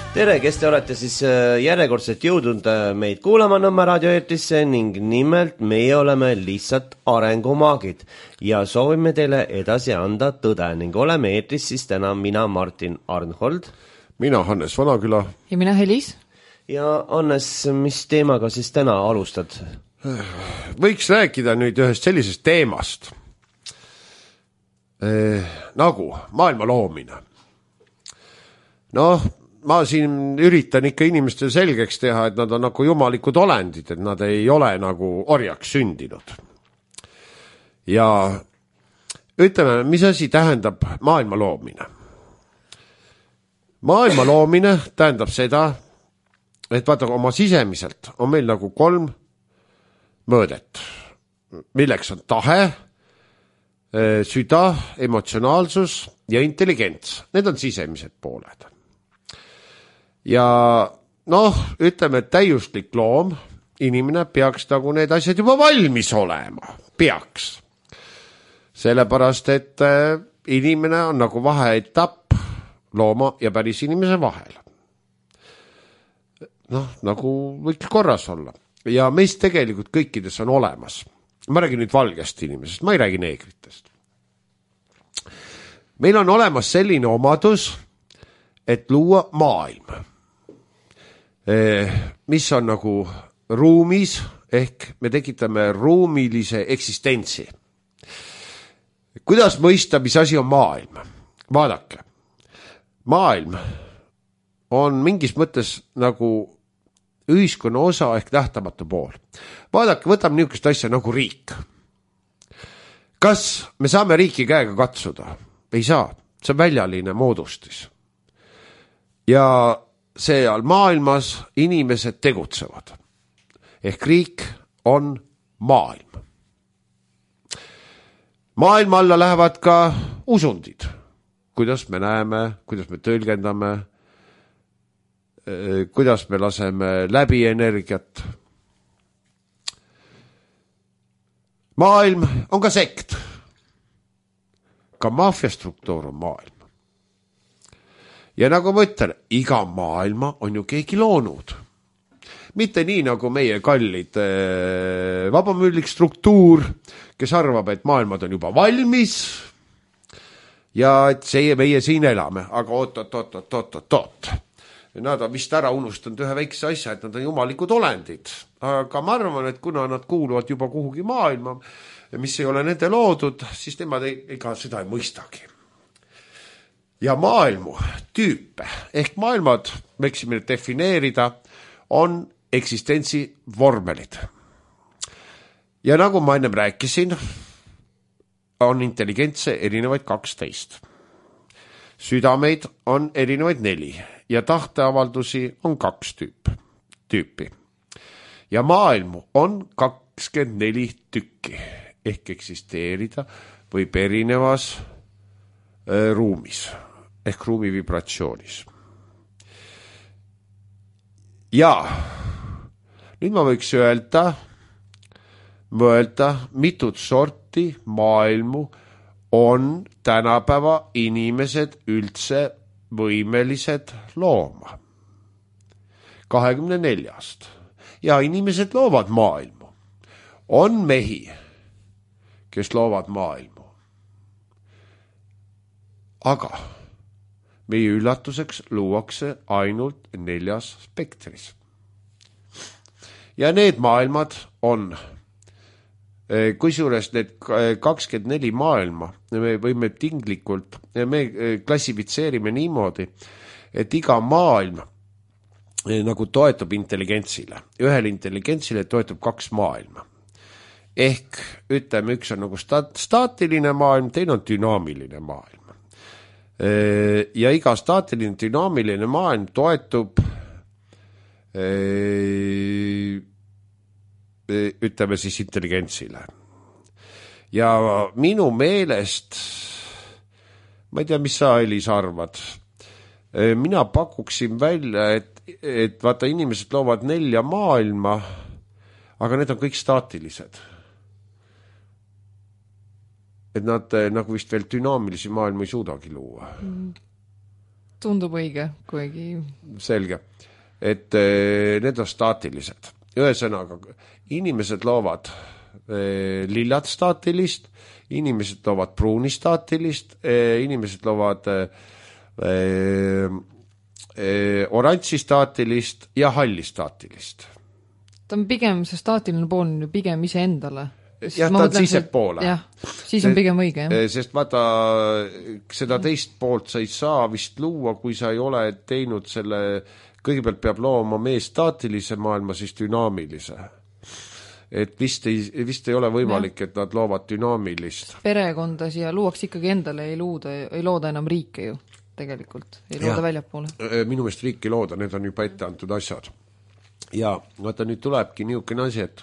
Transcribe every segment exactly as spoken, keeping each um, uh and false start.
Tere, kes te olete siis järjekordselt jõudnud meid kuulama Nõmme raadioeetrisse ning nimelt meie oleme lihtsalt arengumaagid ja soovime teile edasi anda tõde ning oleme eetris siis täna mina Martin Arnhold, mina Hannes Vanaküla ja mina Helis. Ja Hannes, mis teemaga siis täna alustad? Võiks rääkida nüüd ühest sellisest teemast eh, nagu maailma loomine. Noh, ma siin üritan ikka inimestele selgeks teha, et nad on nagu jumalikud olendid, et nad ei ole nagu orjaks sündinud. Ja ütleme, mis asi tähendab maailma loomine? Maailma loomine tähendab seda, et vaata oma sisemiselt on meil nagu kolm mõõdet, milleks on tahe, süda, emotsionaalsus ja intelligents. Need on sisemised pooled. Ja noh, ütleme, et täiuslik loom, inimene peaks nagu need asjad juba valmis olema. Peaks. Sellepärast, et inimene on nagu vaheetapp looma ja päris inimese vahel. Noh, nagu võiks korras olla. Ja meist tegelikult kõikides on olemas. Ma räägin nüüd valgest inimesest, ma ei räägi neegritest. Meil on olemas selline omadus, et luua maailm, mis on nagu ruumis, ehk me tekitame ruumilise eksistentsi. Kuidas mõista, mis asi on maailm? Vaadake, maailm on mingis mõttes nagu ühiskonna osa ehk nähtamatu pool. Vaadake, võtame niisugust asja nagu riik. Kas me saame riiki käega katsuda? Ei saa, see on väljaline moodustis. Ja seal maailmas inimesed tegutsevad. Ehk riik on maailm. Maailma alla lähevad ka usundid. Kuidas me näeme, kuidas me tõlgendame, kuidas me laseme läbi energiat. Maailm on ka sekt. Ka maffiastruktuur on maailm. Ja nagu ma ütlen, iga maailma on ju keegi loonud. Mitte nii nagu meie kallid äh, vabamüülik struktuur, kes arvab, et maailmad on juba valmis ja et see meie siin elame. Aga oot, oot, oot, oot, oot, oot, oot. Nad on vist ära unustanud ühe väikse asja, et nad on jumalikud olendid. Aga ma arvan, et kuna nad kuuluvad juba kuhugi maailma, mis ei ole nende loodud, siis nemad ega seda ei mõistagi. Ja maailmu tüüpe, ehk maailmad, võiksime defineerida, on eksistentsi vormelid. Ja nagu ma ennem rääkisin, on intelligentse erinevaid kaksteist. Südameid on erinevaid neli ja tahteavaldusi on kaks tüüp, tüüpi. Ja maailmu on kakskümmend neli tükki, ehk eksisteerida võib erinevas äh, ruumis. Ehk ruumi vibratsioonis. Ja nüüd ma võiks öelda, mõelda, mitut sorti maailmu on tänapäeva inimesed üldse võimelised looma. kahekümne neljast. Ja inimesed loovad maailmu. On mehi, kes loovad maailmu. Aga meie üllatuseks luuakse ainult neljas spektris. Ja need maailmad on, kusjuures need kakskümmend neli maailma, me võime tinglikult, me klassifitseerime niimoodi, et iga maailm nagu toetub intelligentsile. Ühel intelligentsile toetub kaks maailma. Ehk ütleme, üks on nagu staatiline maailm, teine on dünaamiline maailm. Ja iga staatiline dünaamiline maailm toetub ütleme siis intelligentsile. Ja minu meelest, ma ei tea, mis sa, Elis, arvad, mina pakuksin välja, et, et vaata, inimesed loovad nelja maailma, aga need on kõik staatilised. Et nad nagu vist veel dünaamilisi maailma ei suudagi luua. Mm. Tundub õige, kuigi... Selge. Et eh, need on staatilised. Ühesõnaga, inimesed loovad eh, lillad staatilist, inimesed loovad pruuni staatilist, eh, inimesed loovad eh, eh, oranži staatilist ja halli staatilist. Ta on pigem, see staatiline pool on ju pigem ise endale. Jah, ta on sise poole. Jah, siis on pigem õige. Jah. Sest vaata, seda teist poolt sa ei saa vist luua, kui sa ei ole teinud selle... Kõigepealt peab looma mees staatilise maailma, siis dünaamilise. Et vist ei, vist ei ole võimalik, et nad loovad dünaamilist. Perekonda siia luuaks ikkagi endale, ei, luuda, ei looda enam riike ju tegelikult, ei looda väljapoole. Minu meelest riiki looda, need on juba ette antud asjad. Ja vaata, nüüd tulebki niisugune asi, et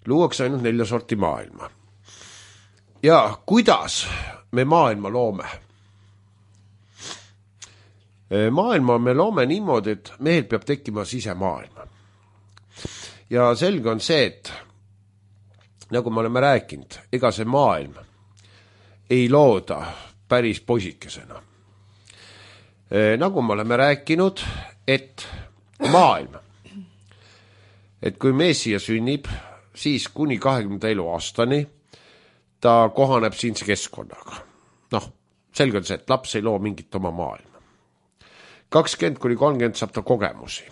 luuakse ainult nelja sorti maailma. Ja kuidas me maailma loome? Maailma me loome niimoodi, et mehel peab tekkima sisemaailma. Ja selge on see, et nagu me oleme rääkinud, ega see maailm ei looda päris poisikesena. Nagu me oleme rääkinud, et maailm, et kui mees siia sünnib, siis kuni kahekümnenda eluaastani ta kohaneb siinse keskkonnaga. Noh, selge on see, et laps ei loo mingit oma maailma. kakskümmend kuni kolmkümmend saab ta kogemusi.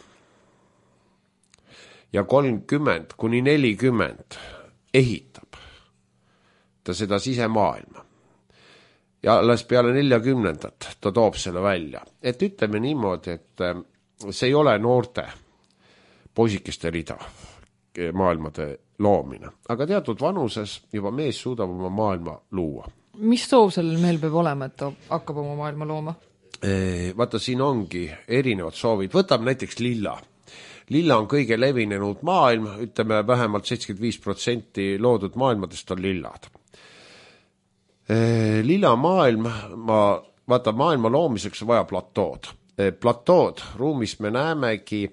Ja kolmkümmend kuni nelikümmend ehitab ta seda sisemaailma. Ja alles peale neljakümnendat ta toob selle välja. Et ütleme niimoodi, et see ei ole noorte poisikeste rida maailmade loomine. Aga teatud vanuses juba mees suudab oma maailma luua. Mis soov sellel mehel peab olema, et ta hakkab oma maailma looma? Vaata, siin ongi erinevad soovid. Võtab näiteks lilla. Lilla on kõige levinenud maailm, ütleme vähemalt seitsekümmend viis protsenti loodud maailmadest on lillad. Lilla maailm, ma, vaata, maailma loomiseks on vaja platood. Platood ruumis me näemegi,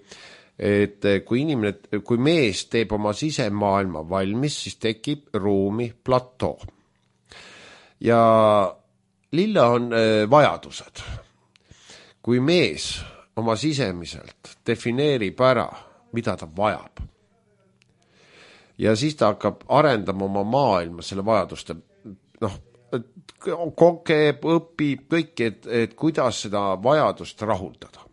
et kui inimene, kui mees teeb oma sisemaailma valmis, siis tekib ruumi platoo. Ja lilla on vajadused. Kui mees oma sisemiselt defineerib ära, mida ta vajab, ja siis ta hakkab arendama oma maailma selle vajaduste, noh, kogeb, õpib kõik, et, et kuidas seda vajadust rahuldada.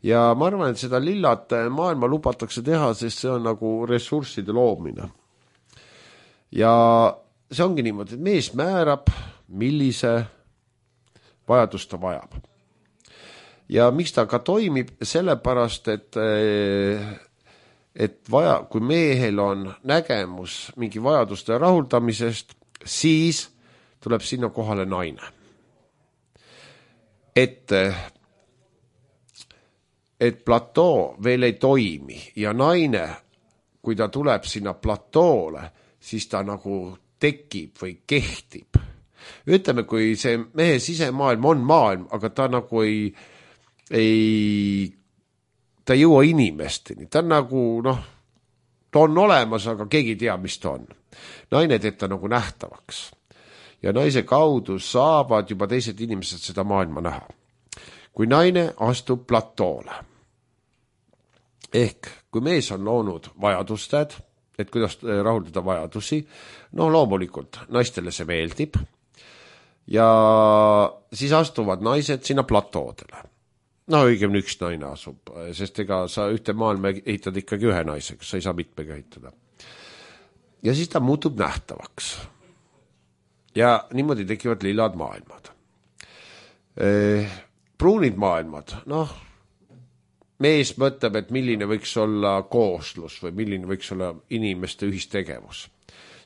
Ja ma arvan, et seda lillat maailma lubatakse teha, sest see on nagu ressursside loomine. Ja see ongi niimoodi, et mees määrab, millise vajadust ta vajab. Ja miks ta ka toimib? Sellepärast, et, et vaja, kui mehel on nägemus mingi vajaduste rahuldamisest, siis tuleb sinna kohale naine. Et, et platoo veel ei toimi ja naine, kui ta tuleb sinna platoole, siis ta nagu tekib või kehtib. Ütleme, kui see mehe sisemaailm on maailm, aga ta nagu ei, ei ta ei jõua inimesteni. Ta on nagu, noh, ta on olemas, aga keegi ei tea, mis ta on. Naine teeb ta nagu nähtavaks. Ja naise kaudu saavad juba teised inimesed seda maailma näha. Kui naine astub platoole. Ehk, kui mees on loonud vajadused, et kuidas rahuldada vajadusi, no loomulikult naistele see meeldib. Ja siis astuvad naised sinna platoodele. No õigemini üks naine asub, sest ega sa ühte maailma ehitad ikkagi ühe naisega, sa ei saa mitmega ehitada. Ja siis ta muutub nähtavaks. Ja niimoodi tekivad lillad maailmad. Pruunid maailmad, noh, mees mõtleb, et milline võiks olla kooslus või milline võiks olla inimeste ühistegevus.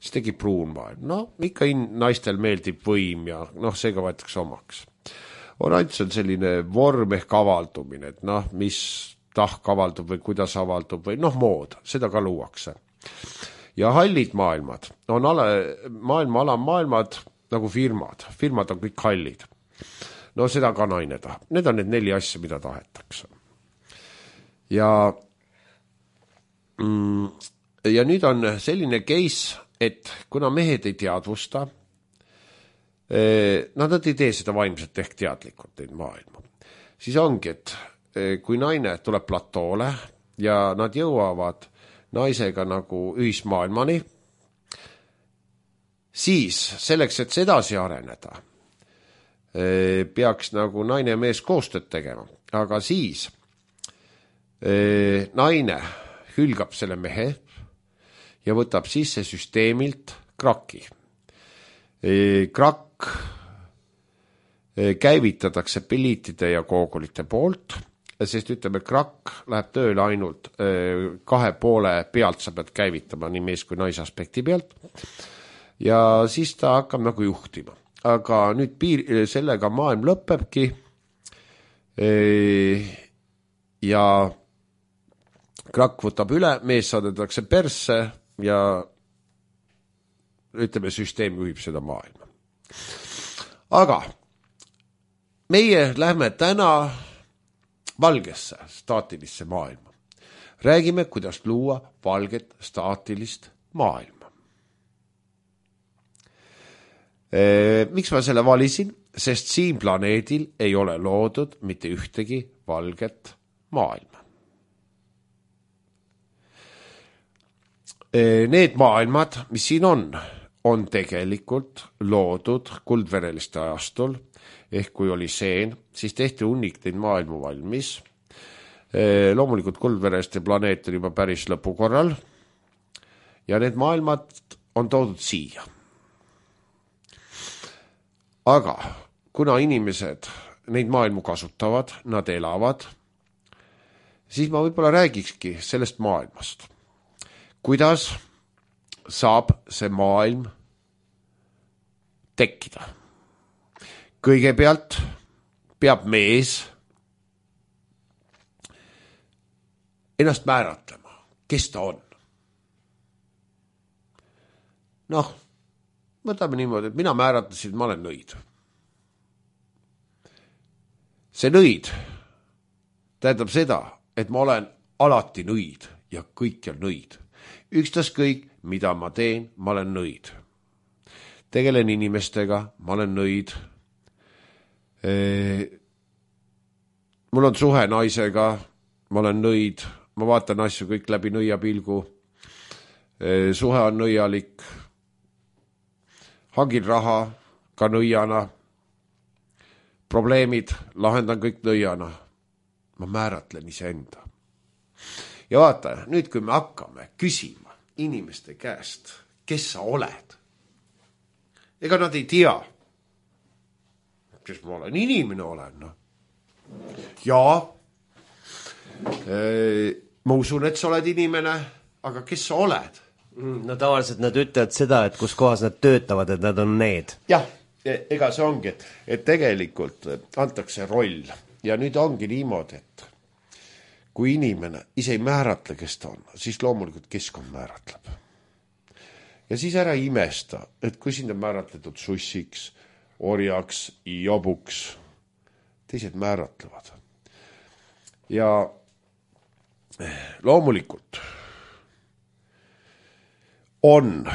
Siis tekib pruun maailm. No, ikka in- naistel meeldib võim ja noh, seega võetakse omaks. Oranž on selline vorm ehk avaldumine, et noh, mis tahk avaldub või kuidas avaldub või noh, mood, seda ka luuakse. Ja hallid maailmad on ala, maailma alammaailmad nagu firmad. Firmad on kõik hallid. No seda ka naine tahab. Need on need neli asja, mida tahetakse. Ja, mm, ja nüüd on selline case, et kuna mehed ei teadvusta Nad ei tee seda vaimselt ehk teadlikult neid maailma. Siis ongi, et kui naine tuleb platoole ja nad jõuavad naisega nagu ühismaailmani, siis selleks, et sedasi areneda, peaks nagu naine ja mees koostööd tegema. Aga siis naine hülgab selle mehe ja võtab sisse süsteemilt kraki. Krakk käivitatakse peliitide ja koogulite poolt, sest ütleme, krakk läheb tööle ainult kahe poole pealt, sa pead käivitama nii mees kui naise aspekti pealt ja siis ta hakkab nagu juhtima. Aga nüüd piir, sellega maailm lõpebki ja krakk võtab üle, mees saadetakse persse ja ütleme, süsteem juhib seda maailma. Aga meie lähme täna valgesse staatilisse maailma. Räägime, kuidas luua valget staatilist maailma. E, miks ma selle valisin? Sest siin planeedil ei ole loodud mitte ühtegi valget maailma. E, need maailmad, mis siin on, on tegelikult loodud kuldvereliste ajastul, ehk kui oli seen, siis tehti hunnik neid maailmu valmis. E, loomulikult kuldvereliste planeet on juba päris lõpukorral ja need maailmad on toodud siia. Aga kuna inimesed neid maailmu kasutavad, nad elavad, siis ma võib-olla räägikski sellest maailmast. Kuidas saab see maailm tekkida? Kõigepealt peab mees ennast määratlema, kes ta on. Noh, võtame niimoodi, et mina määratlesin, et ma olen nõid. See nõid tähendab seda, et ma olen alati nõid ja kõikjal nõid. Ükstas kõik, mida ma teen, ma olen nõid. Tegelen inimestega, ma olen nõid. E, mul on suhe naisega, ma olen nõid, ma vaatan asju kõik läbi nõia pilgu. E, suhe on nõialik. Hangin raha ka nõiana. Probleemid lahendan kõik nõiana. Ma määratlen iseenda. Ja vaata, nüüd kui me hakkame küsima inimeste käest, kes sa oled, ega nad ei tea, kes ma olen, inimene olen. No. Ja e, ma usun, et sa oled inimene, aga kes sa oled? No tavaliselt nad ütlevad seda, et kus kohas nad töötavad, et nad on need. Jah, ega see ongi, et, et tegelikult antakse roll ja nüüd ongi niimoodi, et kui inimene ise ei määratle, kes ta on, siis loomulikult keskkond määratleb. Ja siis ära imesta, et kui sind on määratletud sussiks, orjaks, jobuks, teised määratlevad. Ja loomulikult on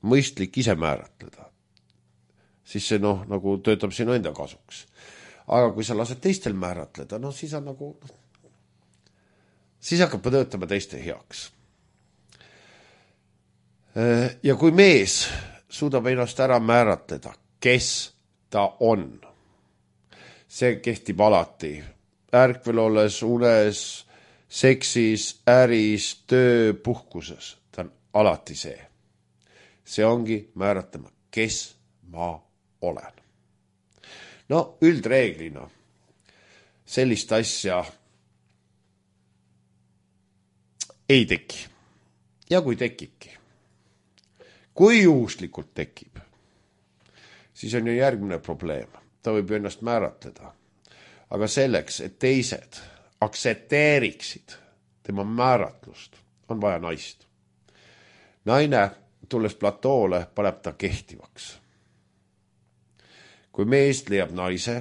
mõistlik ise määratleda, siis see noh, nagu töötab sinu enda kasuks. Aga kui sa lased teistel määratleda, no siis on nagu, siis hakkab töötama teiste heaks. Ja kui mees suudab ennast ära määratleda, kes ta on, see kehtib alati. Ärkvel olles, unes, seksis, äris, töö, puhkuses. Ta on alati see. See ongi määratlema, kes ma olen. No üldreeglina sellist asja ei teki. Ja kui tekibki, kui juhuslikult tekib, siis on ju järgmine probleem. Ta võib ennast määratleda. Aga selleks, et teised aktsepteeriksid tema määratlust, on vaja naist. Naine, tulles platoole, paneb ta kehtivaks. Kui mees leiab naise,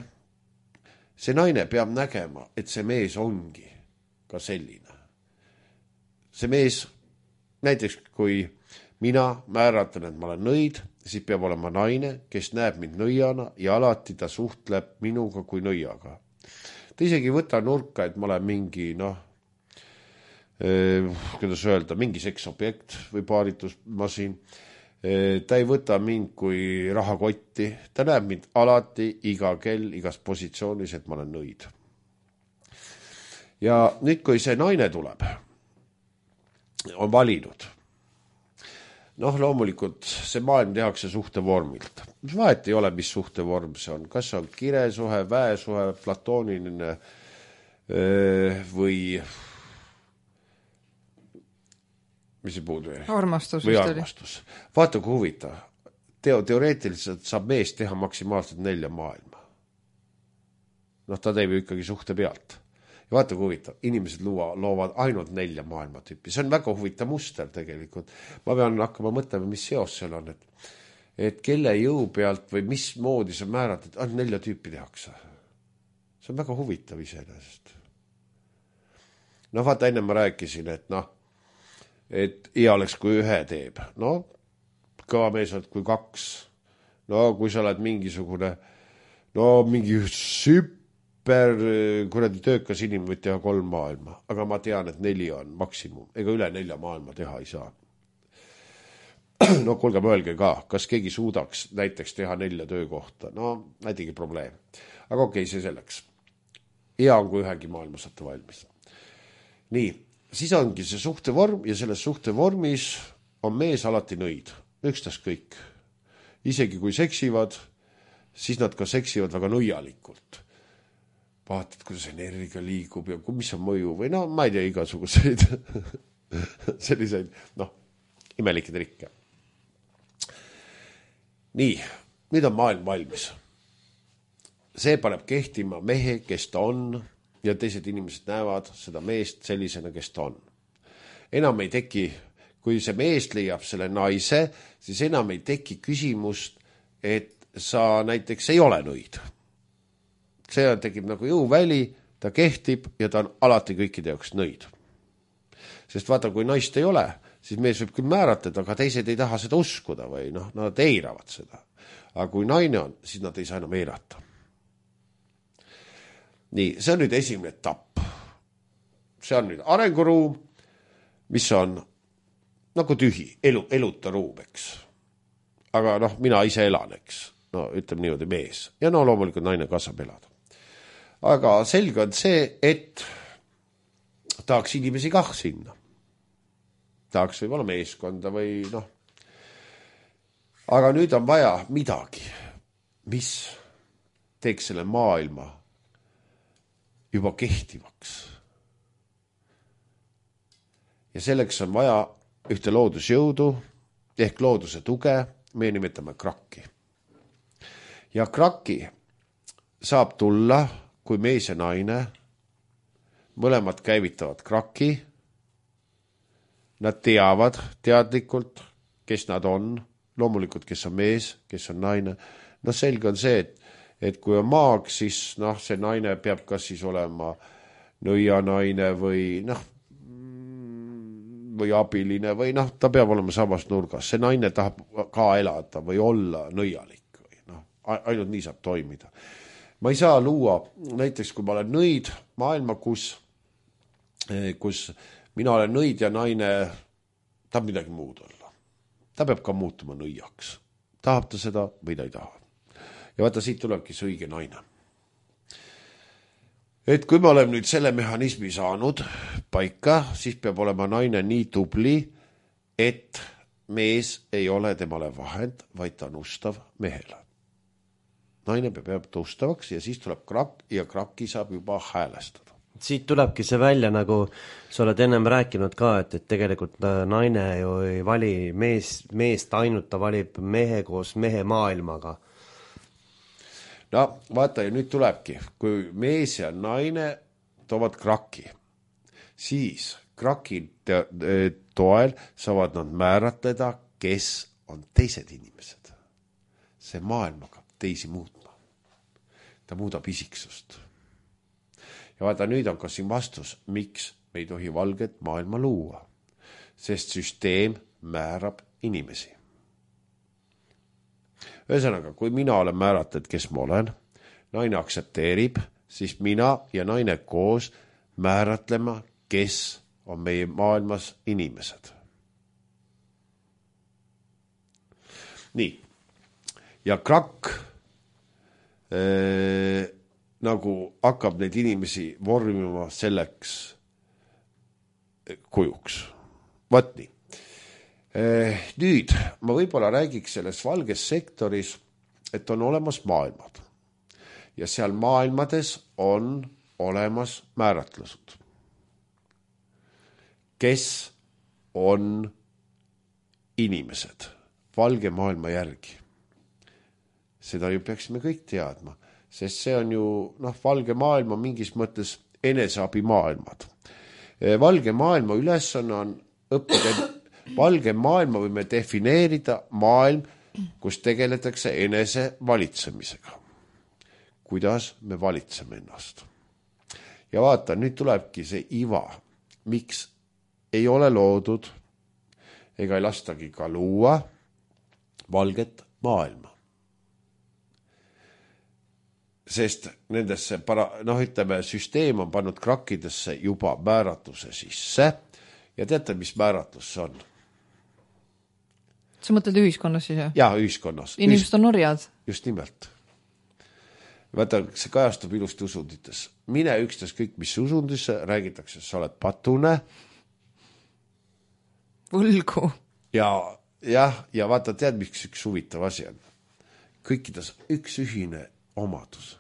see naine peab nägema, et see mees ongi ka selline. See mees, näiteks kui mina määratlen, et ma olen nõid, siis peab olema naine, kes näeb mind nõiana ja alati ta suhtleb minuga kui nõiaga. Ta isegi võta nurka, et ma olen mingi, noh, kuidas öelda, mingi seksobjekt või paaritusmasin. Ta ei võta mind kui rahakotti, ta näeb mind alati, iga kell, igas positsioonis, et ma olen nõid. Ja nüüd, kui see naine tuleb, on valinud, noh, loomulikult see maailm tehakse suhtevormilt. Mis vahet ei ole, mis suhtevorm see on, kas on kiresuhe, väesuhe, platooniline või mis see puudu või? Armastus. Või armastus. Vaata, kui huvitav. Teo, teoreetiliselt saab mees teha maksimaalselt nelja maailma. Noh, ta teeb ju ikkagi suhte pealt. Ja vaata, kui huvitav. Inimesed luua, loovad ainult nelja maailma tüüpi. See on väga huvitav muster tegelikult. Ma pean hakkama mõtlema, mis seos seal on. Et, et kelle jõu pealt või mis moodi sa määrad, et ainult nelja tüüpi tehakse. See on väga huvitav iseenesest. No vaata, enne ma rääkisin, et noh, et hea oleks, kui ühe teeb. No, kõva mees oled kui kaks. No, kui sa oled mingisugune, no, mingi super, kuradi töökas inimene võid teha kolm maailma. Aga ma tean, et neli on maksimum. Ega üle nelja maailma teha ei saa. No, kuulge, mõelge ka, kas keegi suudaks näiteks teha nelja töökohta. No, näitegi probleem. Aga okei, see selleks. Hea on, kui ühegi maailma saate valmis. Nii. Siis ongi see suhtevorm ja selles suhtevormis on mees alati nõid. Ükstas kõik. Isegi kui seksivad, siis nad ka seksivad väga nõialikult. Vaatad, kuidas energia liigub ja mis on mõju või no, ma ei tea, igasuguseid selliseid, noh, imelikke trikke. Nii, nüüd on maailm valmis. See paneb kehtima mehe, kes ta on, ja teised inimesed näevad seda meest sellisena, kes ta on. Enam ei teki, kui see mees leiab selle naise, siis enam ei teki küsimust, et sa näiteks ei ole nõid. See tekib nagu jõuväli, ta kehtib ja ta on alati kõikide jaoks nõid. Sest vaata, kui naist ei ole, siis mees võib küll määratleda, aga teised ei taha seda uskuda või noh, nad eiravad seda. Aga kui naine on, siis nad ei saa enam eirata. Nii, see on nüüd esimene etapp. See on nüüd arenguruum, mis on nagu tühi, elu, eluta ruum, eks. Aga noh, mina ise elan, eks. No ütleme niimoodi mees. Ja no loomulikult naine kasvab elada. Aga selge on see, et tahaks inimesi kah sinna. Tahaks võib-olla meeskonda või noh. Aga nüüd on vaja midagi, mis teeks selle maailma juba kehtivaks. Ja selleks on vaja ühte loodusjõudu ehk looduse tuge, me nimetame krakki. Ja krakki saab tulla, kui mees ja naine, mõlemad käivitavad krakki, nad teavad teadlikult, kes nad on, loomulikult, kes on mees, kes on naine. No selge on see, et et kui on maag, siis noh, see naine peab kas siis olema nõianaine või noh, või abiline või noh, ta peab olema samas nurgas. See naine tahab ka elada või olla nõialik. Või, noh, ainult nii saab toimida. Ma ei saa luua, näiteks kui ma olen nõid maailma, kus, kus mina olen nõid ja naine tahab midagi muud olla. Ta peab ka muutuma nõiaks. Tahab ta seda või ta ei taha. Ja vaata, siit tulebki see õige naine. Et kui me oleme nüüd selle mehhanismi saanud paika, siis peab olema naine nii tubli, et mees ei ole temale vahend, vaid ta on ustav mehele. Naine peab tustavaks ja siis tuleb krakk ja krakki saab juba häälestada. Siit tulebki see välja, nagu sa oled ennem rääkinud ka, et, et tegelikult naine ju ei vali mees, meest ainult, ta valib mehe koos mehe maailmaga. No vaata, ja nüüd tulebki, kui mees ja naine toovad kraki, siis kraki toel saavad nad määratleda, kes on teised inimesed. See maailm hakkab teisi muutma. Ta muudab isiksust. Ja vaata, nüüd on ka siin vastus, miks me ei tohi valget maailma luua. Sest süsteem määrab inimesi. Ühesõnaga, kui mina olen määratud, kes ma olen, naine aktsepteerib, siis mina ja naine koos määratlema, kes on meie maailmas inimesed. Nii. Ja krakk äh, nagu hakkab neid inimesi vormima selleks kujuks. Vaat nii. Nüüd ma võib-olla räägiks selles valges sektoris, et on olemas maailmad. Ja seal maailmades on olemas määratlused. Kes on inimesed valge maailma järgi? Seda ju peaksime kõik teadma, sest see on ju, noh, valge maailma mingis mõttes eneseabi maailmad. Valge maailma ülesanne on õppida, valge maailma võime defineerida maailm, kus tegeletakse enese valitsemisega. Kuidas me valitseme ennast. Ja vaata, nüüd tulebki see iva, miks ei ole loodud ega ei lastagi ka luua valget maailma. Sest nendesse, para, noh, ütleme, süsteem on pannud krakkidesse juba määratuse sisse ja teate, mis määratus see on? Sa mõtled ühiskonnas siis, jah? Jaa, ühiskonnas. Inimesed on orjad. Just nimelt. Vaata, see kajastub ilusti usundites. Mine ükstas kõik, mis usundisse räägitakse, sa oled patune. Võlgu. Ja, jah, ja vaata, tead, miks üks huvitav asi on. Kõikides üks ühine omadus.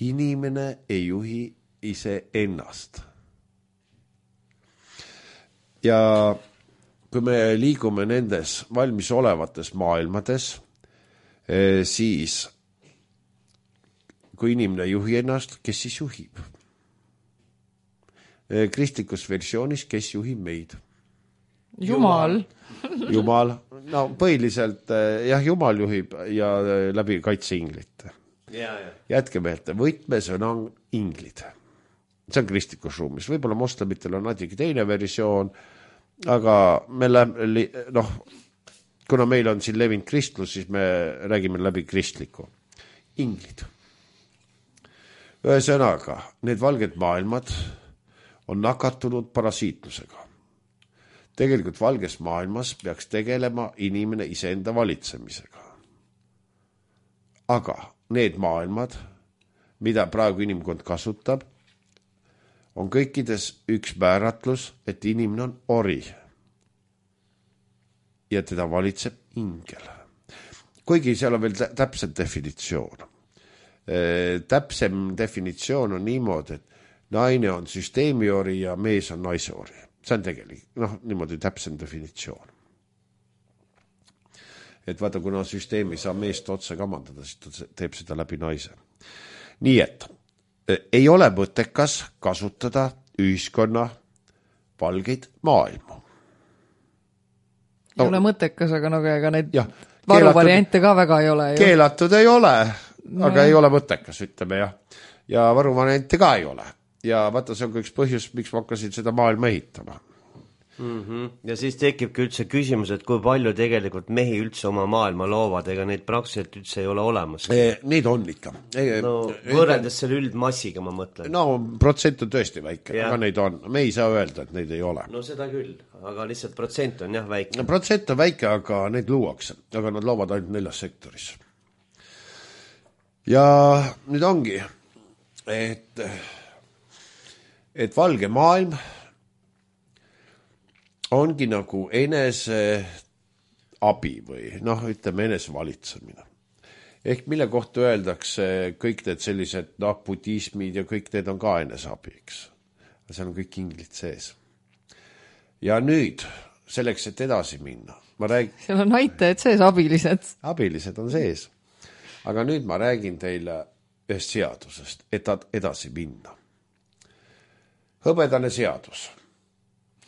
Inimene ei juhi ise ennast. Ja kui me liigume nendes valmis olevates maailmades, siis kui inimene juhi ennast, kes siis juhib? Kristlikus versioonis, kes juhib meid? Jumal. Jumal. No põhiliselt, jah, Jumal juhib ja läbi kaitseinglite. Ja, ja. Jätke meelde, võtmesõna on inglid. See on kristlikus ruumis. Võib-olla moslemitel on natuke teine versioon, aga me läbi, noh, kuna meil on siin levinud kristlus, siis me räägime läbi kristliku. Inglid. Ühesõnaga, need valged maailmad on nakatunud parasiitlusega. Tegelikult valges maailmas peaks tegelema inimene iseenda valitsemisega. Aga need maailmad, mida praegu inimkond kasutab, on kõikides üks määratlus, et inimene on ori ja teda valitseb ingel. Kuigi seal on veel täpsem definitsioon. Täpsem definitsioon on niimoodi, et naine on süsteemi ori ja mees on naise ori. See on tegelikult, noh, niimoodi täpsem definitsioon. Et vaata, kuna süsteemi saa meest otse kamandada, siis ta teeb seda läbi naise. Nii et ei ole mõttekas kasutada ühiskonna valgeid maailmu. Ei no, ole mõttekas, aga no, ega neid jah, varuvariante ka väga ei ole. Ju. Keelatud ei ole, no, aga ei ole mõttekas, ütleme jah. Ja varuvariante ka ei ole. Ja vaata, see on üks põhjus, miks ma hakkasin seda maailma ehitama. Mm-hmm. Ja siis tekibki üldse küsimus, et kui palju tegelikult mehi üldse oma maailma loovad, ega neid praktiliselt üldse ei ole olemas. E, neid on ikka. E, no võrreldes selle üldmassiga ma mõtlen. No protsent on tõesti väike, ja. Aga neid on. Me ei saa öelda, et neid ei ole. No seda küll, aga lihtsalt protsent on jah väike. No, protsent on väike, aga neid luuakse, aga nad loovad ainult neljas sektoris. Ja nüüd ongi, et, et valge maailm ongi nagu enese abi või noh, ütleme enese valitsemine. Ehk mille kohta öeldakse kõik need sellised noh, budismid ja kõik need on ka enese abi, eks. See on kõik inglid sees. Ja nüüd, selleks, et edasi minna, ma räägin... Seal on näitajad sees, abilised. Abilised on sees. Aga nüüd ma räägin teile ühest seadusest, et edasi minna. Hõbedane seadus.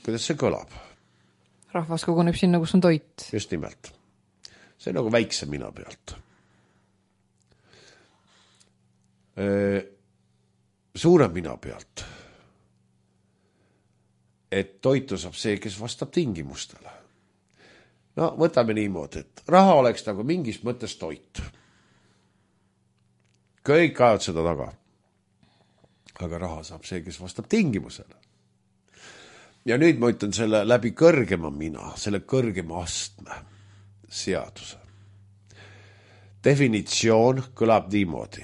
Kuidas see kõlab? Rahvas koguneb sinna, kus on toit. Just nimelt. See on nagu väikse mina pealt. Suure mina pealt. Et toitu saab see, kes vastab tingimustele. no võtame niimoodi, et raha oleks nagu mingis mõttes toit. Kõik ajad seda taga. Aga raha saab see, kes vastab tingimusele. Ja nüüd ma ütlen selle läbi kõrgema mina, selle kõrgema astme seaduse. Definitsioon kõlab niimoodi.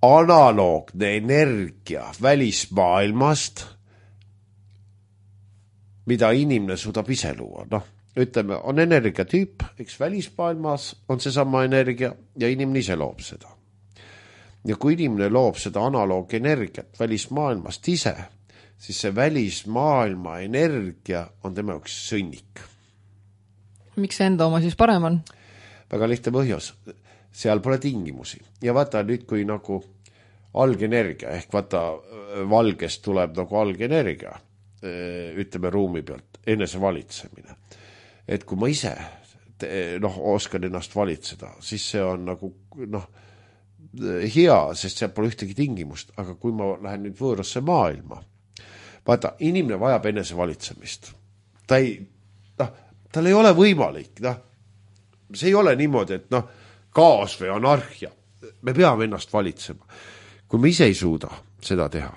Analoogne energia välismaailmast, mida inimene suudab ise luua. Noh, ütleme, on energiatüüp, eks välismaailmas on see sama energia ja inimene ise loob seda. Ja kui inimene loob seda analoogenergiat välismaailmast ise, siis see välismaailma energia on tema jaoks sõnnik. Miks see enda oma siis parem on? Väga lihtne põhjus. Seal pole tingimusi. Ja vaata nüüd, kui nagu algenergia, ehk vaata valgest tuleb nagu algenergia, ütleme ruumi pealt, enese valitsemine. Et kui ma ise noh, oskan ennast valitseda, siis see on nagu noh, hea, sest seal pole ühtegi tingimust. Aga kui ma lähen nüüd võõrasse maailma, vaata, inimene vajab enese valitsemist. Ta ei, noh, tal ei ole võimalik, noh, see ei ole niimoodi, et noh, kaos või anarhia. Me peame ennast valitsema. Kui me ise ei suuda seda teha,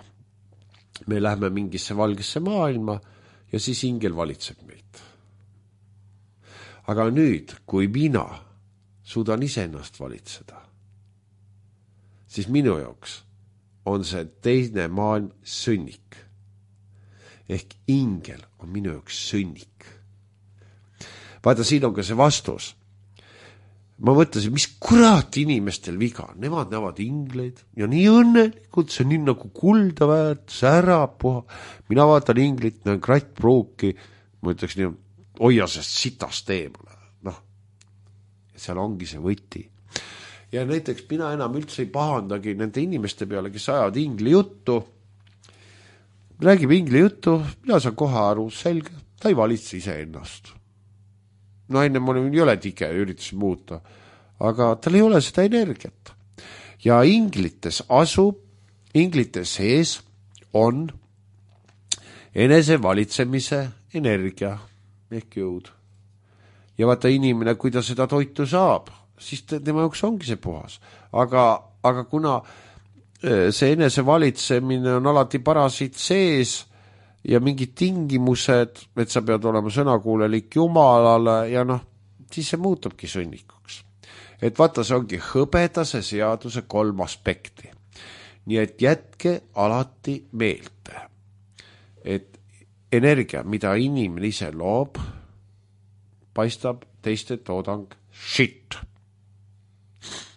me lähme mingisse valgesse maailma ja siis ingel valitseb meid. Aga nüüd, kui mina suudan ise ennast valitseda, siis minu jaoks on see teine maailm sõnnik. Ehk ingel on minu jaoks sõnnik. Vaata, siin on ka see vastus. Ma mõtlesin, mis kurat inimestel viga. Nemad näevad ingleid ja nii õnnelikult, see on nii nagu kulda väärt, särab puha. Mina vaatan inglit, näen krattpruuki, ma ütleks nii, hoia sest sitast eemale. Noh, seal ongi see võti. Ja näiteks mina enam üldse ei pahandagi nende inimeste peale, kes ajavad ingli juttu. Räägib ingli juttu, mina saan kohe aru, selge, ta ei valitse ise ennast. No enne ma ei ole tige, üritasin muuta, aga tal ei ole seda energiat. Ja inglites asub, inglites sees on enese valitsemise energia ehk jõud. Ja vaata inimene, kui ta seda toitu saab, siis tema jaoks ongi see puhas. Aga, aga kuna see enese valitsemine on alati parasiit sees ja mingid tingimused, et sa pead olema sõnakuulelik Jumalale ja noh, siis see muutubki sõnnikuks. Et vaata, see ongi hõbedase seaduse kolm aspekti. Nii et jätke alati meelde, et energia, mida inimene ise loob, paistab teiste toodang shit.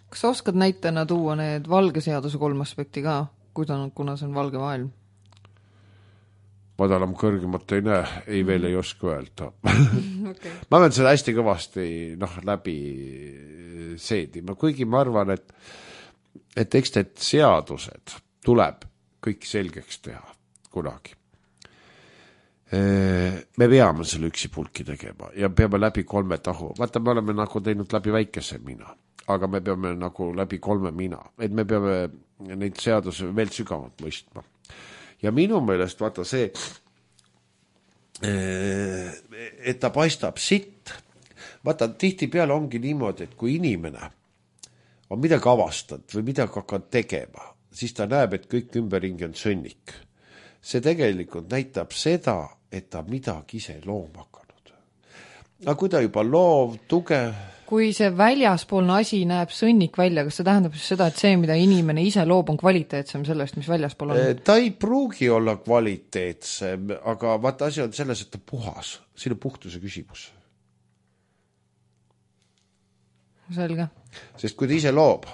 Kas sa oskad näitena tuua need valge seaduse kolm aspekti ka, kuna see on valge maailm? Madalam kõrgemat ei näe, ei veel ei oska öelda. Okay. Ma pean seda hästi kõvasti noh, läbi seedima, kuigi ma arvan, et, et eks need seadused tuleb kõik selgeks teha kunagi. Me peame selle üksipulki tegema ja peame läbi kolme tahu. Vaata, me oleme nagu teinud läbi väikese mina, aga me peame nagu läbi kolme mina, et me peame neid seaduse veel sügavalt mõistma. Ja minu meelest vaata see, et ta paistab sitt. Vaata, tihti peale ongi niimoodi, et kui inimene on midagi avastanud või midagi hakkad tegema, siis ta näeb, et kõik ümberringi on sõnnik. See tegelikult näitab seda, et ta midagi ise looma hakanud. Aga kui ta juba loov, tugev... Kui see väljaspoolne asi näeb sõnnik välja, kas see tähendab seda, et see, mida inimene ise loob, on kvaliteetsem sellest, mis väljaspool on? Ta ei pruugi olla kvaliteetsem, aga vaata asi on selles, et ta puhas. Siin on puhtuse küsimus. Selge. Sest kui ta ise loob,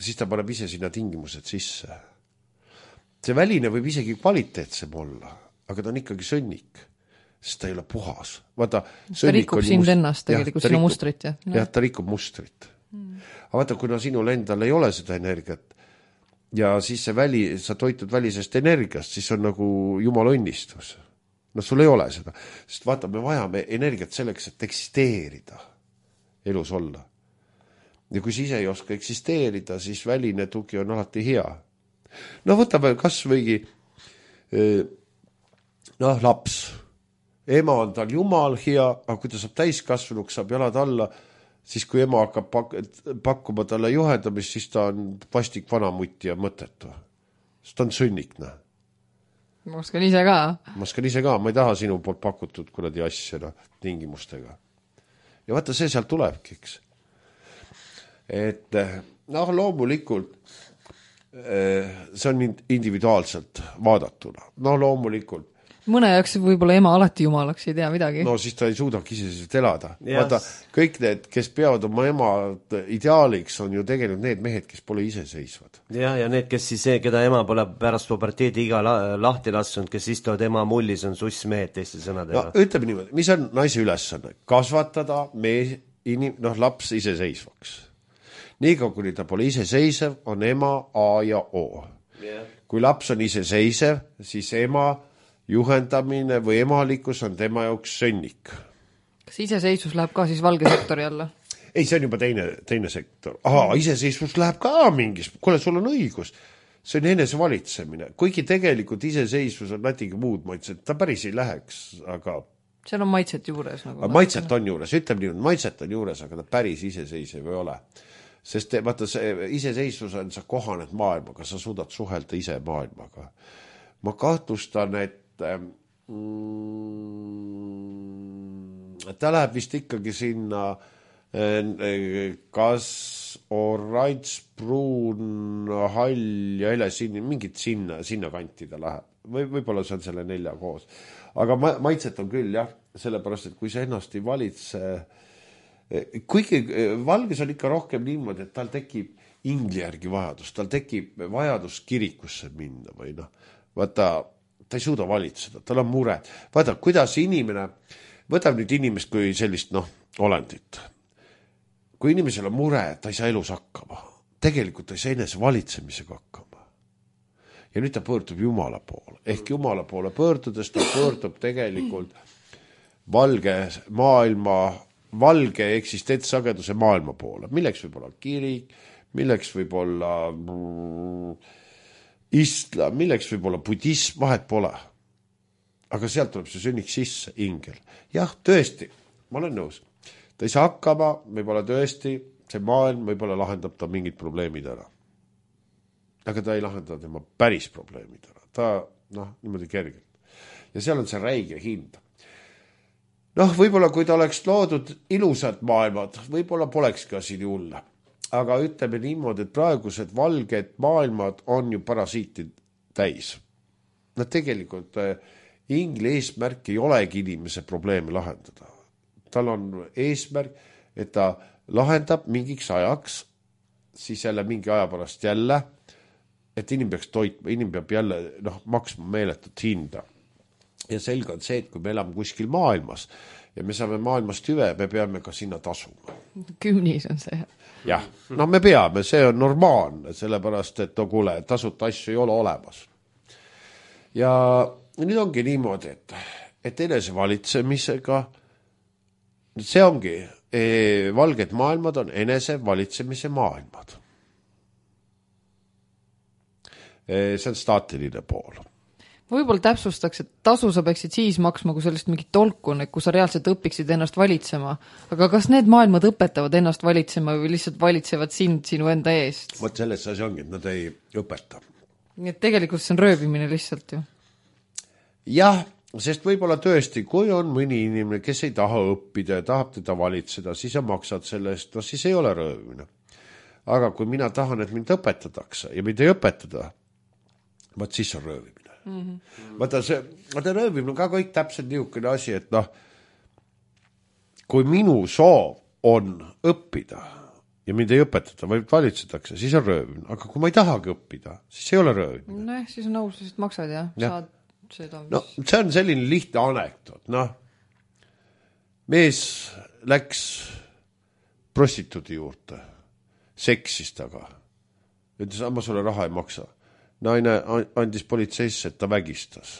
siis ta paneb ise sinna tingimused sisse. See väline võib isegi kvaliteetsem olla, aga ta on ikkagi sõnnik. Sest ta ei ole puhas. Vaata, ta rikub sind must... ennast tegelikult, sinu mustrit. Ja, no. Jah, ta rikub mustrit. Mm. Aga vaata, kuna sinul endal ei ole seda energiat ja siis see väli, sa toitud välisest energiast, siis on nagu jumala õnnistus. No sul ei ole seda. Sest vaata, me vajame energiat selleks, et eksisteerida, elus olla. Ja kui sa ise ei oska eksisteerida, siis väline tugi on alati hea. No võtame kas võigi noh, laps ema on tal jumal hea, aga kui ta saab täiskasvanuks, saab jalad alla, siis kui ema hakkab pak- pakkuma talle juhendamist, siis ta on vastik vanamutti ja mõttetu. Sest ta on sõnnikne. Ma oskan ise ka. Ma oskan ise ka, ma ei taha sinu poolt pakutud kuradi asja no, tingimustega. Ja vaata, see sealt tulebki, eks. Et noh, loomulikult see on individuaalselt vaadatuna. No loomulikult. Mõne jaoks võib-olla ema alati jumalaks, ei tea midagi. No siis ta ei suudagi iseseisvalt elada. Yes. Vaata, kõik need, kes peavad oma ema ideaaliks, on ju tegelikult need mehed, kes pole iseseisvad. Ja, ja need, kes siis, keda ema pole pärast puberteedi iga lahti lassunud, kes istuvad ema mullis, on sussmehed teiste sõnadega. No, ütleme niimoodi, mis on naise ülesanne? Kasvatada mees, inim, noh, laps iseseisvaks. Niikaua, kui ta pole iseseisev, on ema A ja O. Yeah. Kui laps on iseseisev, siis ema juhendamine või emalikkus on tema jaoks sõnnik. Kas iseseisvus läheb ka siis valge sektori alla? Ei, see on juba teine, teine sektor. Aha, iseseisvus läheb ka mingis. Kuule, sul on õigus. See on enese valitsemine. Kuigi tegelikult iseseisvus on natuke muud maitset. Ta päris ei läheks, aga... Seal on maitset juures. Nagu maitset on juures. Ütleme nii, maitset on juures, aga ta päris iseseisev ei ole. Sest vaata, see iseseisvus on, sa kohaned maailmaga, sa suudad suhelda ise maailmaga. Ma kahtlustan, et ta läheb vist ikkagi sinna kas orange, pruun, hall ja hele sinna, mingit sinna, sinna kanti ta läheb. Või, võib-olla see on selle nelja koos. Aga ma, maitset on küll, jah, sellepärast, et kui see ennast ei valitse, kuigi valges on ikka rohkem niimoodi, et tal tekib ingli järgi vajadus, tal tekib vajadus kirikusse minna või noh, vaata, ta ei suuda valitseda, tal on mure. Vaata, kuidas inimene, võtab nüüd inimest kui sellist, noh, olendit. Kui inimesel on mure, ta ei saa elus hakkama. Tegelikult ta ei saa enese valitsemisega hakkama. Ja nüüd ta pöördub Jumala poole. Ehk Jumala poole pöördudes ta pöördub tegelikult valge maailma, valge eksistentsageduse maailma poole. Milleks võib olla kirik, milleks võib olla... islam, milleks võib olla budism, vahet pole. Aga sealt tuleb see sünnik sisse, ingel. Jah, tõesti, ma olen nõus. Ta ei saa hakkama, võib-olla tõesti, see maailm võib-olla lahendab ta mingid probleemid ära. Aga ta ei lahenda tema päris probleemid ära. Ta, noh, niimoodi kergelt. Ja seal on see räige hind. Noh, võib-olla kui ta oleks loodud ilusad maailmad, võib-olla poleks ka siin julla. Aga ütleme niimoodi, et praegused valged maailmad on ju parasiitid täis. Nad tegelikult ingli eesmärk ei olegi inimese probleemi lahendada. Tal on eesmärk, et ta lahendab mingiks ajaks, siis jälle mingi aja pärast jälle, et inimene peaks toitma, inimene peab jälle noh, maksma meeletut hinda. Ja selge on see, et kui me elame kuskil maailmas ja me saame maailmast hüve, me peame ka sinna tasuma. Kümnis on see. Jah, no me peame, see on normaalne, sellepärast, et no kuule, tasuta asju ei ole olemas. Ja nüüd ongi niimoodi, et, et enese valitsemisega, see ongi, e, valged maailmad on enese valitsemise maailmad. E, see on staatiline pool. Võib-olla täpsustaks, et tasu sa peaksid siis maksma, kui sellest mingit tolku on, et kui sa reaalselt õpiksid ennast valitsema. Aga kas need maailmad õpetavad ennast valitsema või lihtsalt valitsevad sind sinu enda eest? Vot selles asi ongi, et nad ei õpeta. Nii et tegelikult see on röövimine lihtsalt ju. Jah, sest võib-olla tõesti, kui on mõni inimene, kes ei taha õppida ja tahab teda valitseda, siis sa maksad selle eest, no siis ei ole röövimine. Aga kui mina tahan, et mind õpetatakse ja mind ei õpetada, vaat siis on röövimine. Mm-hmm. Vaata, see, vaata röövimine on ka kõik täpselt niisugune asi, et noh, kui minu soov on õppida ja mind ei õpetada, vaid valitsetakse, siis on röövimine. Aga kui ma ei tahagi õppida, siis ei ole röövimine. No jah, siis on aus, siis maksad ja, ja. Saad seda. Mis... No, see on selline lihtne anekdoot. Noh, mees läks prostituudi juurde, seksis taga. Ütles, ma sulle raha ei maksa. Naine andis politseisse, et ta vägistas.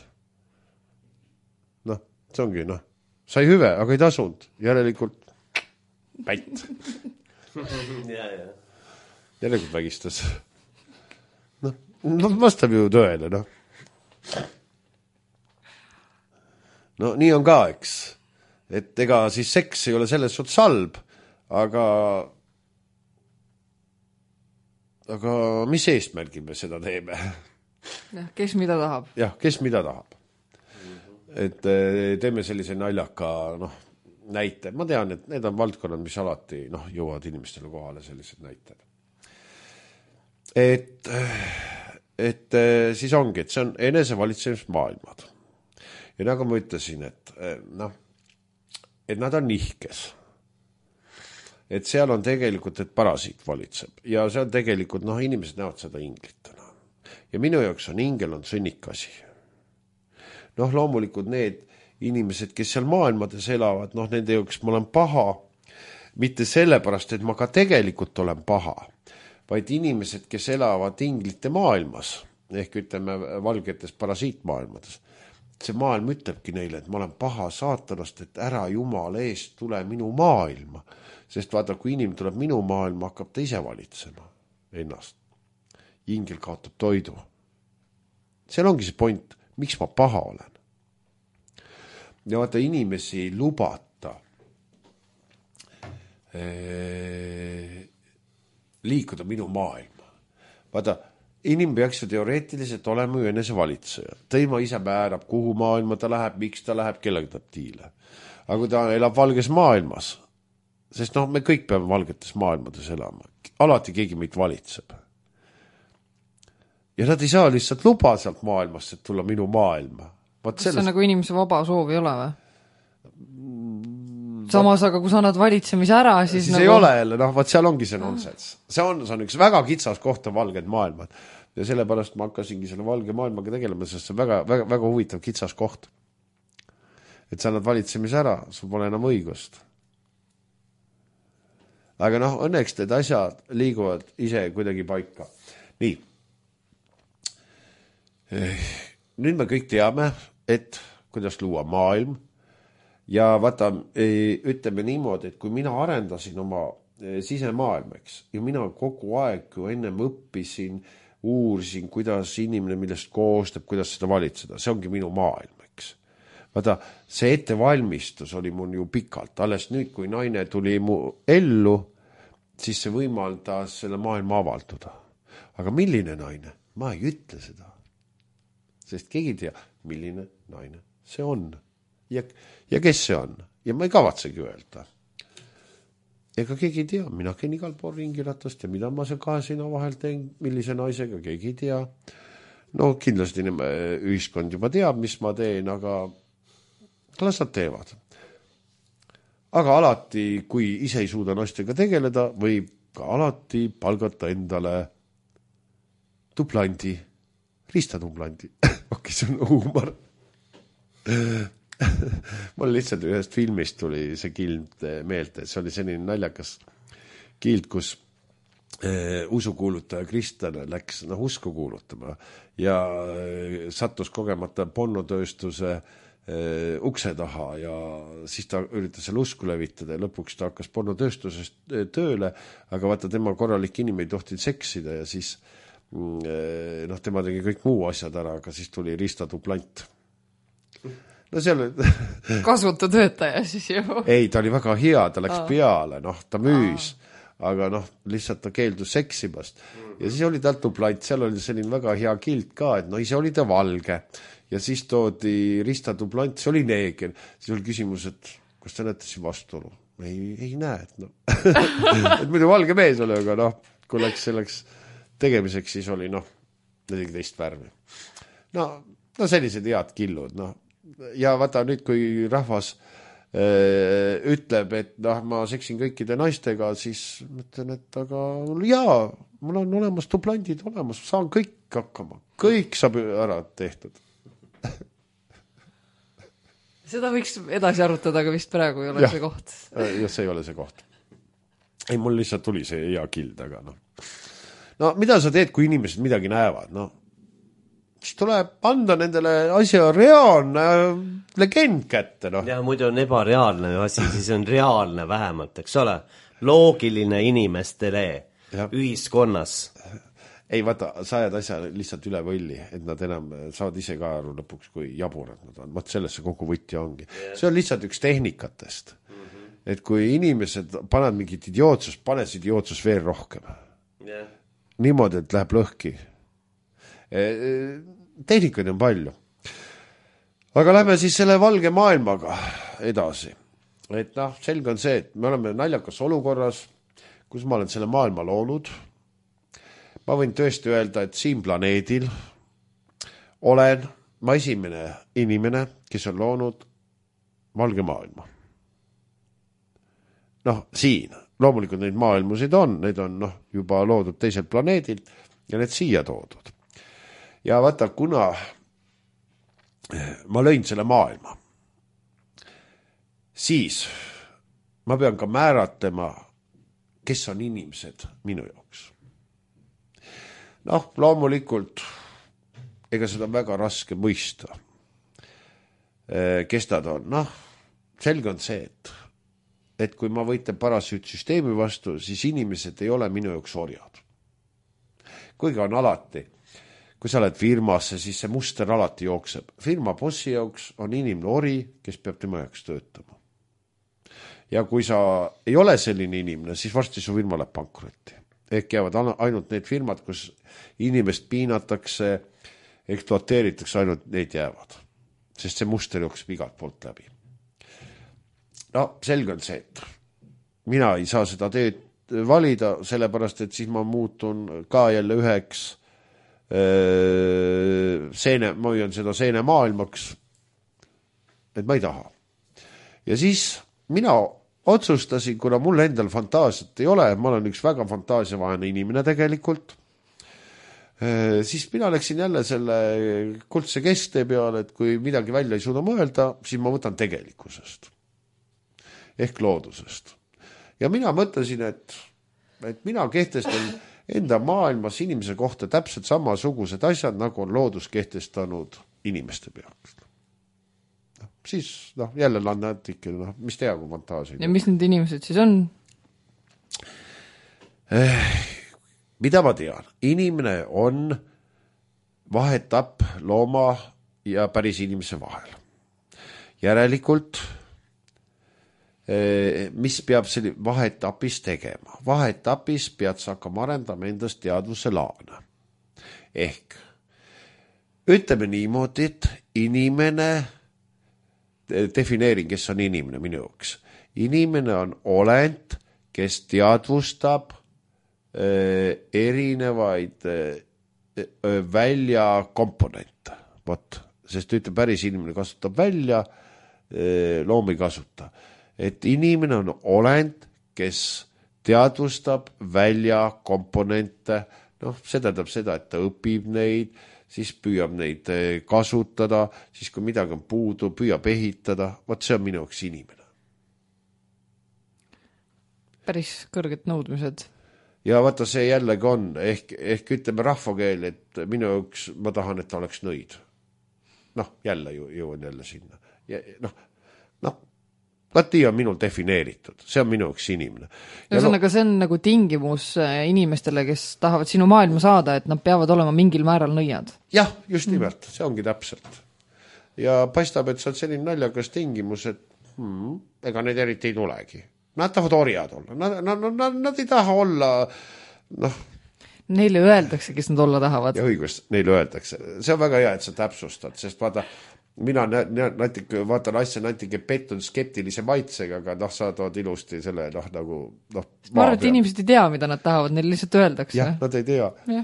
Noh, see ongi, noh, sai hüve, aga ei tasunud. Järelikult pätt. ja, ja. Järelikult vägistas. Noh, no, vastab ju tõele, noh. no nii on ka, eks. Et ega siis seks ei ole selles suhtes halb, aga aga mis eesmärgil me seda teeme? jah, kes mida tahab. jah, kes mida tahab. Et teeme sellise naljaka noh, näite. Ma tean, et need on valdkonnad, mis alati noh, jõuavad inimestele kohale sellised näited. Et, et siis ongi, et see on enesevalitsemismaailmad. Ja nagu ma ütlesin, et noh, et nad on nihkes. Et seal on tegelikult, et parasiit valitseb. Ja see on tegelikult, noh, inimesed näevad seda inglitena. Ja minu jaoks on ingel on sõnnikasi. noh, loomulikult need inimesed, kes seal maailmades elavad, noh, nende jaoks ma olen paha, mitte sellepärast, et ma ka tegelikult olen paha, vaid inimesed, kes elavad inglite maailmas, ehk ütleme valgetes parasiitmaailmades, see maailm ütlebki neile, et ma olen paha saatanast, et ära jumala eest tule minu maailma, sest vaata, kui inimene tuleb minu maailma, hakkab ta ise valitsema ennast. Ingel kaotab toidu. Seal ongi see point, miks ma paha olen. Ja vaata, inimesi ei lubata ee, liikuda minu maailma. Vaata, inimene peaks ju teoreetiliselt olema ju enese valitseja. Teima ise määrab, kuhu maailma ta läheb, miks ta läheb, kellega ta tiile. Aga kui ta elab valges maailmas, sest noh, me kõik peame valgetes maailmades elama. Alati keegi meid valitseb. Ja nad ei saa lihtsalt luba sealt maailmast, et tulla minu maailma. Kas sellest... see nagu inimese vaba soov ei ole või? Samas, aga kui sa annad valitsemise ära, siis, siis nagu... ei ole jälle, noh, vaat seal ongi see nonsens. See on, see on üks väga kitsas kohta valged maailmad. Ja sellepärast ma hakkasingi selle valge maailmaga tegelema, sest see on väga, väga, väga huvitav kitsas koht. Et sa annad valitsemise ära, sul pole enam õigust. Aga noh, õnneks need asjad liiguvad ise kuidagi paika. Nii. Nüüd me kõik teame, et kuidas luua maailm ja vaata, ütleme niimoodi, et kui mina arendasin oma sisemaailmaks ja mina kogu aeg ju ennem õppisin, uurisin, kuidas inimene millest koostab, kuidas seda valitseda, see ongi minu maailm, eks. Vaata, see ettevalmistus oli mul ju pikalt, alles nüüd, kui naine tuli mu ellu, siis see võimaldas selle maailma avalduda. Aga milline naine? Ma ei ütle seda. Sest keegi ei tea, milline naine see on. Ja, ja kes see on? Ja ma ei kavatsegi öelda. Ega keegi ei tea, mina käin igal pool ringiratast ja mida ma see kahe sina vahel teen, millise naisega, keegi ei tea. No kindlasti ühiskond juba teab, mis ma teen, aga las nad teevad. Aga alati, kui ise ei suuda naistega tegeleda, võib ka alati palgata endale tuplandi, ristatuplandi. Okei, see on huumor. Mul lihtsalt ühest filmist tuli see kild meelde, see oli selline naljakas kild, kus eh, usukuulutaja Kristjan läks noh, usku kuulutama ja eh, sattus kogemata pornotööstuse eh, ukse taha ja siis ta üritas selle usku levitada ja lõpuks ta hakkas pornotööstusest tööle, aga vaata tema korralik inimene ei tohtinud seksida ja siis noh, tema tegi kõik muu asjad ära, aga siis tuli ristatuplant. No seal... Kasutu töötaja siis ju. Ei, ta oli väga hea, ta läks Aa. peale, noh, ta müüs, Aa. aga noh, lihtsalt ta keeldus seksimast. Ja siis oli tal tuplant, seal oli selline väga hea kild ka, et no ise oli ta valge. Ja siis toodi ristatuplant, see oli neeger. Siis oli küsimus, et kas ta näete siin vastuolu? Ei, ei näe, et noh. et muidu valge mees oli, aga noh, kui läks selleks tegemiseks, siis oli noh, nelikümmend värvi. No, no sellised head killud, noh. Ja vaata nüüd, kui rahvas äh, ütleb, et noh, ma seksin kõikide naistega, siis mõtlen, et aga jaa, mul on olemas tuplandid olemas, saan kõik hakkama. Kõik saab ära tehtud. Seda võiks edasi arutada, aga vist praegu ei ole ja, see koht. Ja see ei ole see koht. Ei, mul lihtsalt tuli see hea kild, aga noh. No mida sa teed, kui inimesed midagi näevad? No, siis tuleb anda nendele asja reaalne legend kätte. No. Ja muidu on ebareaalne asi, siis on reaalne vähemalt, eks ole? Loogiline inimestele ja. Ühiskonnas. ei vaata, sa ajad asja lihtsalt üle võlli, et nad enam saavad ise ka aru lõpuks, kui jaburad nad on. Vaat sellesse kogu võti ongi. See on lihtsalt üks tehnikatest. Mm-hmm. Et kui inimesed paned mingit idiootsus, panes idiootsus veel rohkem. Yeah. Niimoodi, et läheb lõhki. Tehnikaid on palju. Aga lähme siis selle valge maailmaga edasi. Et noh, selge on see, et me oleme naljakas olukorras, kus ma olen selle maailma loonud. Ma võin tõesti öelda, et siin planeedil olen ma esimene inimene, kes on loonud valge maailma. Noh, siin. Loomulikult neid maailmusid on, need on noh, juba loodud teiselt planeedilt ja need siia toodud. Ja vaata, kuna ma lõin selle maailma, siis ma pean ka määratlema, kes on inimesed minu jaoks. Noh, loomulikult, ega seda on väga raske mõista, kes nad on. Noh, selge on see, et, et kui ma võitlen parasüütsüsteemi vastu, siis inimesed ei ole minu jaoks orjad. Kuigi on alati, kui sa oled firmasse, siis see muster alati jookseb. Firma bossi jaoks on inimene ori, kes peab tema jaoks töötama. Ja kui sa ei ole selline inimene, siis varsti su firma läheb pankrotti. Ehk jäävad ainult need firmad, kus inimest piinatakse, ekspluateeritakse, ainult need jäävad. Sest see muster jookseb igalt poolt läbi. No, selge on see, et mina ei saa seda teed valida, sellepärast, et siis ma muutun ka jälle üheks seene, ma hoian seda seene maailmaks, et ma ei taha. Ja siis mina otsustasin, kuna mul endal fantaasiat ei ole, ma olen üks väga fantaasiavaene inimene tegelikult, siis mina läksin jälle selle kuldse keste peale, et kui midagi välja ei suuda mõelda, siis ma võtan tegelikkusest. Ehk loodusest. Ja mina mõtlesin, et, et mina kehtestan enda maailmas inimese kohta täpselt samasugused asjad, nagu on loodus kehtestanud inimeste pealt. No, siis noh, jälle lannatik, noh, mis tea kui fantaasia. Ja mis need inimesed siis on? Eh, mida ma tean? Inimene on vahetab looma ja päris inimese vahel. Järelikult mis peab selline vahetapis tegema. Vahetapis pead sa hakkama arendama endast teadvuse laana. Ehk ütleme niimoodi, et inimene, defineerin, kes on inimene minu jaoks. Inimene on olend, kes teadvustab äh, erinevaid äh, välja komponente. Vot, sest ütleb päris inimene kasutab välja, äh, loom ei kasuta. Et inimene on olend, kes teadvustab välja komponente, noh, see tähendab seda, et ta õpib neid, siis püüab neid kasutada, siis kui midagi on puudu, püüab ehitada, vaat see on minu jaoks inimene. Päris kõrged nõudmised. Ja vaata, see jällegi on, ehk, ehk ütleme rahvakeel, et minu jaoks ma tahan, et ta oleks nõid. Noh, jälle ju, jõuan jälle sinna. Ja, noh, noh, Lati on minul defineeritud, see on minu üks inimene. Ühesõnaga, see on nagu tingimus inimestele, kes tahavad sinu maailma saada, et nad peavad olema mingil määral nõiad. Jah, just nimelt, see ongi täpselt. Ja paistab, et see on selline naljakas tingimus, et hmm, ega need eriti ei tulegi. Nad tahavad orjad olla, nad, nad, nad, nad ei taha olla, noh. Neile öeldakse, kes nad olla tahavad. Ja õigust, neile öeldakse. See on väga hea, et sa täpsustad, sest vaata, mina natuke, vaatan asja natuke pettun skeptilise maitsega, aga noh, sa tood ilusti selle, noh, nagu noh, ma arvan, et inimesed ei tea, mida nad tahavad, neil lihtsalt öeldakse. Jah, nad ei tea. Ja.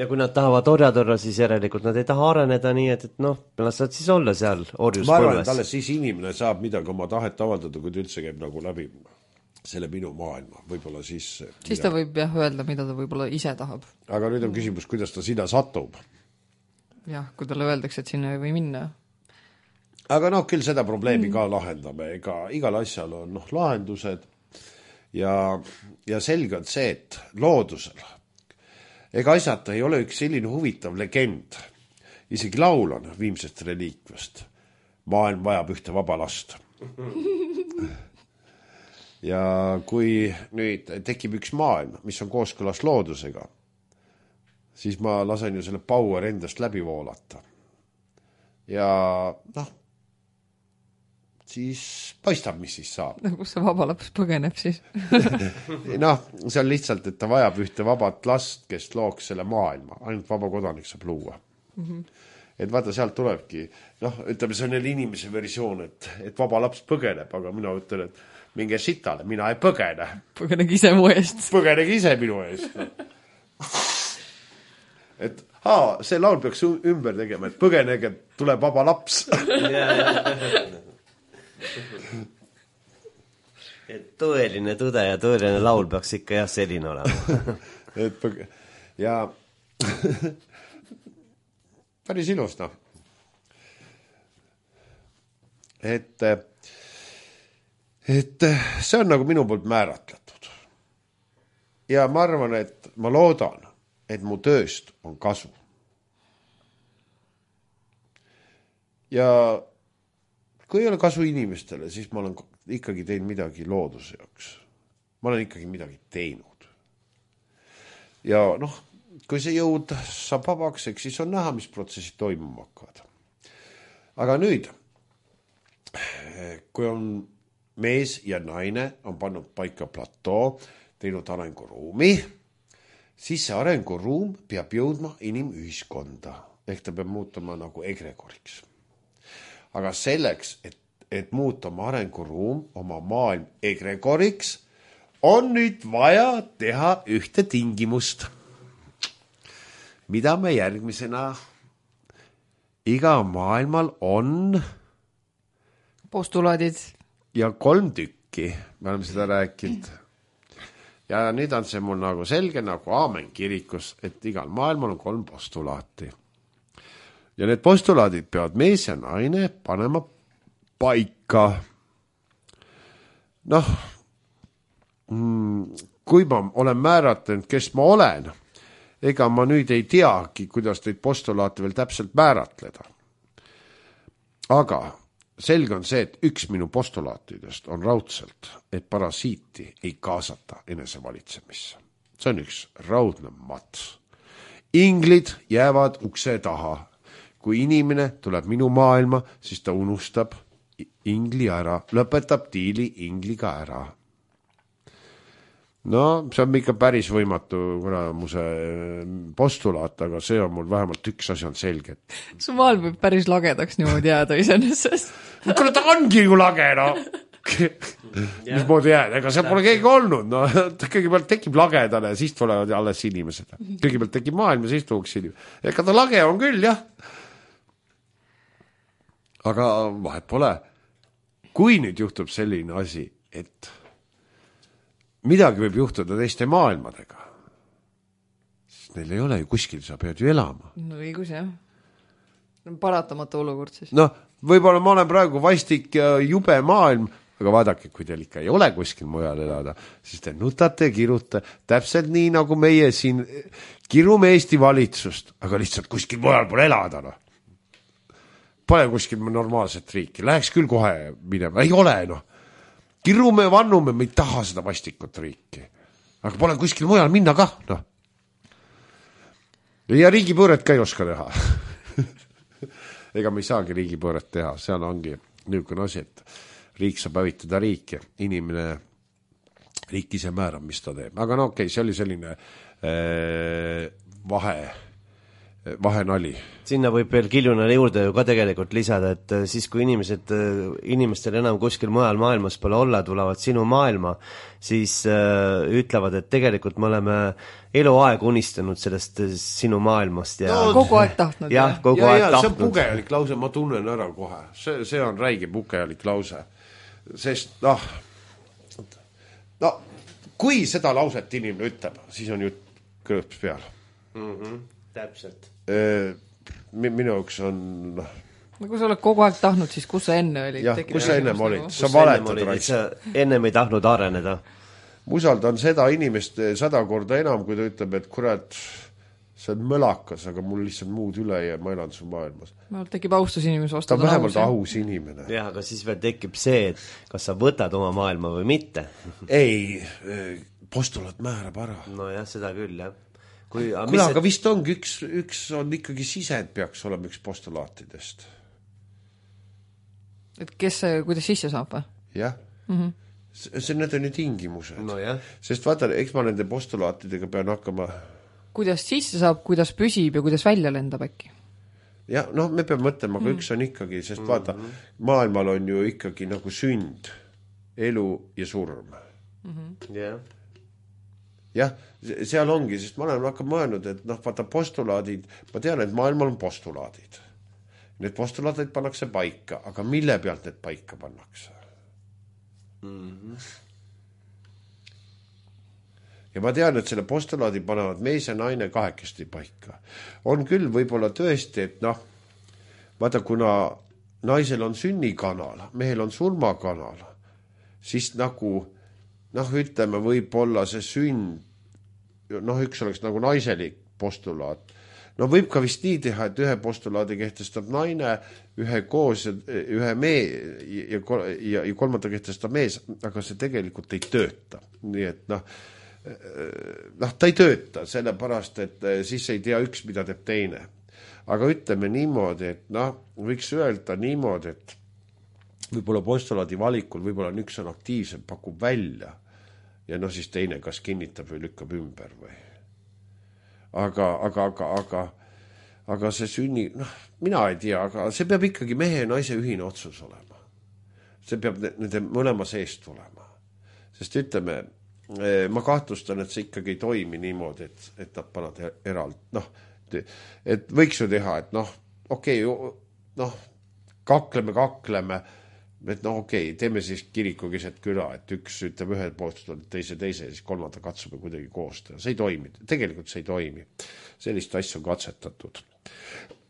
ja kui nad tahavad orjad olla, siis järelikult nad ei taha areneda nii, et, et noh, las saad siis olla seal orjuspõlves. Ma arvan, et alles siis inimene saab midagi oma tahet avaldada, kui ta üldse käib nagu läbi selle minu maailma. Võib-olla siis... Siis mida... ta võib jah öelda, mida ta võib-olla ise tahab. Aga nüüd on küsimus, kuidas ta sinna satub. Jah, kui talle öeldakse, et sinna ei või minna. Aga noh, küll seda probleemi ka lahendame, ega igal asjal on noh, lahendused ja, ja selge on see, et loodusel ega asjata ei ole üks selline huvitav legend, isegi laul on viimsest reliikvast, maailm vajab ühte vaba last. Ja kui nüüd tekib üks maailm, mis on kooskõlas loodusega, siis ma lasen ju selle power endast läbi voolata. Ja noh, siis paistab, mis siis saab. No, kus see vaba laps põgeneb siis? noh, see on lihtsalt, et ta vajab ühte vabat last, kes looks selle maailma. Ainult vaba kodanik saab luua. Mm-hmm. Et vaata, sealt tulebki, noh, ütleme, see on neil inimese versioon, et, et vaba laps põgeneb, aga mina ütlen, et minge sitale, mina ei põgene. Põgenegi ise mu eest. Põgenegi ise minu eest. et aa, see laul peaks ümber tegema, et põgenege, tuleb vaba laps. et tõeline tõde ja tõeline laul peaks ikka jah selline olema. et põge... ja päris ilus, noh. Et, et see on nagu minu poolt määratletud. Ja ma arvan, et ma loodan, et mu tööst on kasu. Ja kui ei ole kasu inimestele, siis ma olen ikkagi teinud midagi looduse jaoks. Ma olen ikkagi midagi teinud. Ja noh, kui see jõud saab vabaks, eks siis on näha, mis protsessid toimuma hakkavad. Aga nüüd, kui on mees ja naine on pannud paika platoo, teinud arenguruumi, siis see arenguruum peab jõudma inimühiskonda, ehk ta peab muutuma nagu egregoriks. Aga selleks, et, et muuta oma arenguruum, oma maailm egregoriks, on nüüd vaja teha ühte tingimust. Mida me järgmisena iga maailmal on postulaadid ja kolm tükki, me oleme seda rääkinud. Ja nüüd on see mul nagu selge nagu aamen kirikus, et igal maailmal on kolm postulaati. Ja need postulaadid peavad mees ja naine panema paika. Noh, kui ma olen määratlenud, kes ma olen, ega ma nüüd ei teagi, kuidas neid postulaate veel täpselt määratleda. Aga selge on see, et üks minu postulaatidest on raudselt, et parasiiti ei kaasata enesevalitsemisse. See on üks raudne mats. Inglid jäävad ukse taha. Kui inimene tuleb minu maailma, siis ta unustab ingli ära, lõpetab diili ingliga ära. No, see on ikka päris võimatu kuramuse postulaat, aga see on mul vähemalt üks asi on selge. Su maailm võib päris lagedaks niimoodi jääda iseenesest. Kuule, ta ongi ju lage, no. Mis moodi jääd, ega see pole keegi olnud, no. Kõigepealt tekib lagedane, siis tulevad alles inimesed. Kõigepealt tekib maailm ja siis tuuks inimesed. Ega ta lage on küll, jah. Aga vahet pole. Kui nüüd juhtub selline asi, et midagi võib juhtuda teiste maailmadega, siis neil ei ole ju kuskil, sa pead ju elama. No õigus, jah. Paratamatu olukord siis. No, võib-olla ma olen praegu vastik ja jube maailm, aga vaadake, kui teil ikka ei ole kuskil mujal elada, siis te nutate ja kirute täpselt nii, nagu meie siin kirume Eesti valitsust, aga lihtsalt kuskil mujal pole elada, no. Pole kuskil normaalset riiki, läheks küll kohe minema, ei ole, noh. Kirume, vannume, me ei taha seda vastikut riiki. Aga pole kuskil mujal minna ka, noh. Ja riigipõõret ka ei oska teha. Ega me ei saagi riigipõõret teha, seal ongi niisugune asi, et riik saab hävitada riiki, inimene riik ise määrab, mis ta teeb. Aga no okei, okay, see oli selline äh, vahe vahenali. Sinna võib veel Kiljunale juurde ju ka tegelikult lisada, et siis kui inimesed, inimestel enam kuskil mujal maailmas pole olla, tulevad sinu maailma, siis äh, ütlevad, et tegelikult me oleme eluaeg unistanud sellest sinu maailmast. Ja no, kogu aeg tahtnud. Jah, kogu ja, aeg ja, tahtnud. See on pugelik lause, ma tunnen ära kohe. See, see on räige pugelik lause. Sest, noh, no, kui seda lauset inimene ütleb, siis on ju kõõps peal. Mhm. Täpselt. Minu üks on... No kui sa oled kogu aeg tahtnud, siis kus sa enne olid? Jah, kus sa ennem olid? Sa valetad raist. Sa ennem ei tahtnud areneda. Usaldan seda inimest sada korda enam, kui ta ütleb, et kurat, see on mõlakas, aga mul lihtsalt muud üle ja ma elan su maailmas. Mul tekib austus inimese vastu. Ta on vähemalt aus inimene. Jah, aga siis veel tekib see, et kas sa võtad oma maailma või mitte. Ei, postulaat määrab ära. No jah, seda küll, jah. kui, kuule, aga et... vist ongi üks, üks on ikkagi sisend peaks olema üks postulaatidest. Et kes, kuidas sisse saab või? Jah. Mm-hmm. See, need on ju tingimused. No jah. Sest vaata, eks ma nende postulaatidega pean hakkama... Kuidas sisse saab, kuidas püsib ja kuidas välja lendab äkki? Ja, noh, me peame mõtlema, aga mm. üks on ikkagi, sest vaata, maailmal on ju ikkagi nagu sünd, elu ja surm. Mm-hmm. Yeah. Jah, seal ongi, sest ma olen hakka mõelnud, et noh, vaata postulaadid, ma tean, et maailmal on postulaadid. Need postulaadid pannakse paika, aga mille pealt need paika pannakse? Mm-hmm. Ja ma tean, et selle postulaadi panevad mees ja naine kahekesti paika. On küll võib-olla tõesti, et noh, vaata, kuna naisel on sünnikanal, mehel on surmakanal, siis nagu, noh, ütleme, võib-olla see sünd, noh, üks oleks nagu naiselik postulaat. No võib ka vist nii teha, et ühe postulaadi kehtestab naine, ühe koos, ühe mee ja, ja, ja kolmanda kehtestab mees, aga see tegelikult ei tööta. Nii et noh, noh, ta ei tööta, sellepärast, et siis ei tea üks, mida teeb teine. Aga ütleme niimoodi, et noh, võiks öelda niimoodi, et võib-olla postulaadi valikul, võib-olla üks on aktiivsem, pakub välja ja noh, siis teine kas kinnitab või lükkab ümber või. Aga, aga, aga, aga, aga see sünni, noh, mina ei tea, aga see peab ikkagi mehe ja naise ühine otsus olema. See peab nende mõlema seest olema. Sest ütleme, ma kahtlustan, et see ikkagi ei toimi niimoodi, et, et nad panad eralt, noh, et võiks ju teha, et noh, okei, okay, noh, kakleme, kakleme, et noh, okei, okay, teeme siis kiriku keset küla, et üks ütleb ühe poolt, teise, teise ja siis kolmanda katsume kuidagi koostada. See ei toimi, tegelikult see ei toimi. Sellist asja on katsetatud.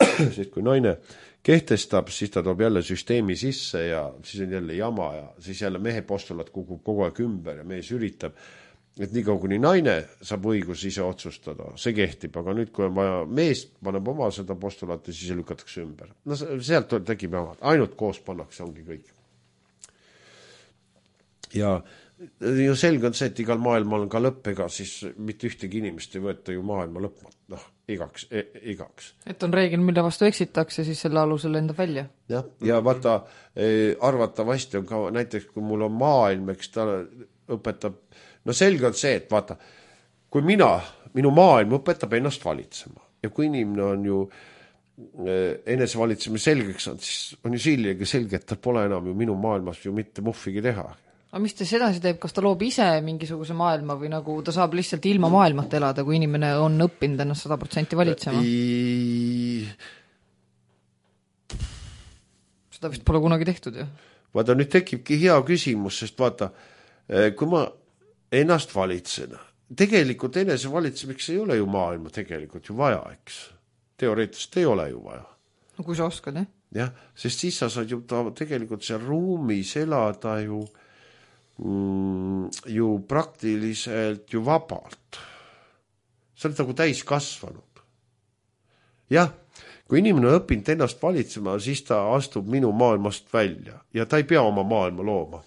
Sest kui naine kehtestab, siis ta toob jälle süsteemi sisse ja siis on jälle jama ja siis jälle mehe postulaat kukub kogu aeg ümber ja mees üritab, et nii kaua kuni naine saab õigus ise otsustada, see kehtib, aga nüüd kui on vaja mees paneb oma seda postulaati, siis lükatakse ümber. No sealt tekib jama, ainult koos pannakse, ongi kõik. Ja ju selge on see, et igal maailmal on ka lõpp, ega siis mitte ühtegi inimest ei võeta ju maailma lõpmat, noh, igaks, e, igaks. Et on reegel, mille vastu eksitakse, siis selle alusel lendab välja. Ja, ja vaata, arvatavasti on ka näiteks, kui mul on maailm, eks ta õpetab, no selge on see, et vaata, kui mina, minu maailm õpetab ennast valitsema ja kui inimene on ju enese valitsema selgeks on, siis on ju siljaga selge, et tal pole enam ju minu maailmas ju mitte muhvigi teha. Aga mis ta sedasi teeb, kas ta loob ise mingisuguse maailma või nagu ta saab lihtsalt ilma maailmata elada, kui inimene on õppinud ennast sada protsenti valitsema? I... Seda vist pole kunagi tehtud ju. Vaata, nüüd tekibki hea küsimus, sest vaata, kui ma ennast valitsen, tegelikult enese valitsemeks ei ole ju maailma tegelikult ju vaja, eks. Teoreetiliselt ei ole ju vaja. No kui sa oskad, jah? Jah, sest siis sa saad ju ta tegelikult seal ruumis elada ju ju praktiliselt ju vabalt. See on nagu täis kasvanud. Jah, kui inimene on õppinud ennast valitsema, siis ta astub minu maailmast välja ja ta ei pea oma maailma looma.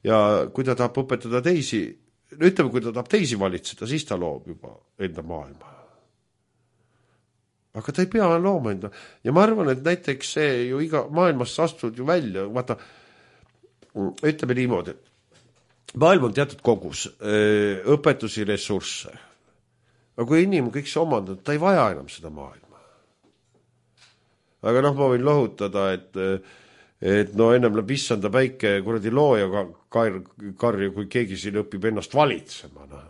Ja kui ta tahab õpetada teisi, ütleme, kui ta tahab teisi valitseda, siis ta loob juba enda maailma. Aga ta ei pea looma enda. Ja ma arvan, et näiteks see ju iga maailmast astud ju välja, vaata, ütleme niimoodi, et maailm on teatud kogus, õpetusi, ressursse. Aga kui inimene kõik see omandab, ta ei vaja enam seda maailma. Aga noh, ma võin lohutada, et, et no ennem läheb issanda päike kuradi looja kar, karju, kui keegi siin õpib ennast valitsema. No,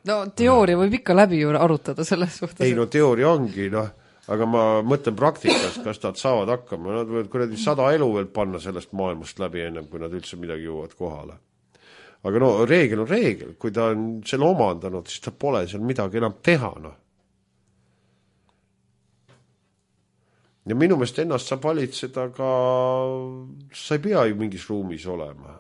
no teooria võib ikka läbi ju arutada selles suhtes. Ei, no teooria ongi, noh. Aga ma mõtlen praktikas, kas nad saavad hakkama. Nad võivad kuradi sada elu veel panna sellest maailmast läbi ennem, kui nad üldse midagi jõuavad kohale. Aga no reegel on reegel. Kui ta on selle omandanud, siis ta pole seal midagi enam teha. No. Ja minu meelest ennast saab valitseda ka, sa ei pea ju mingis ruumis olema.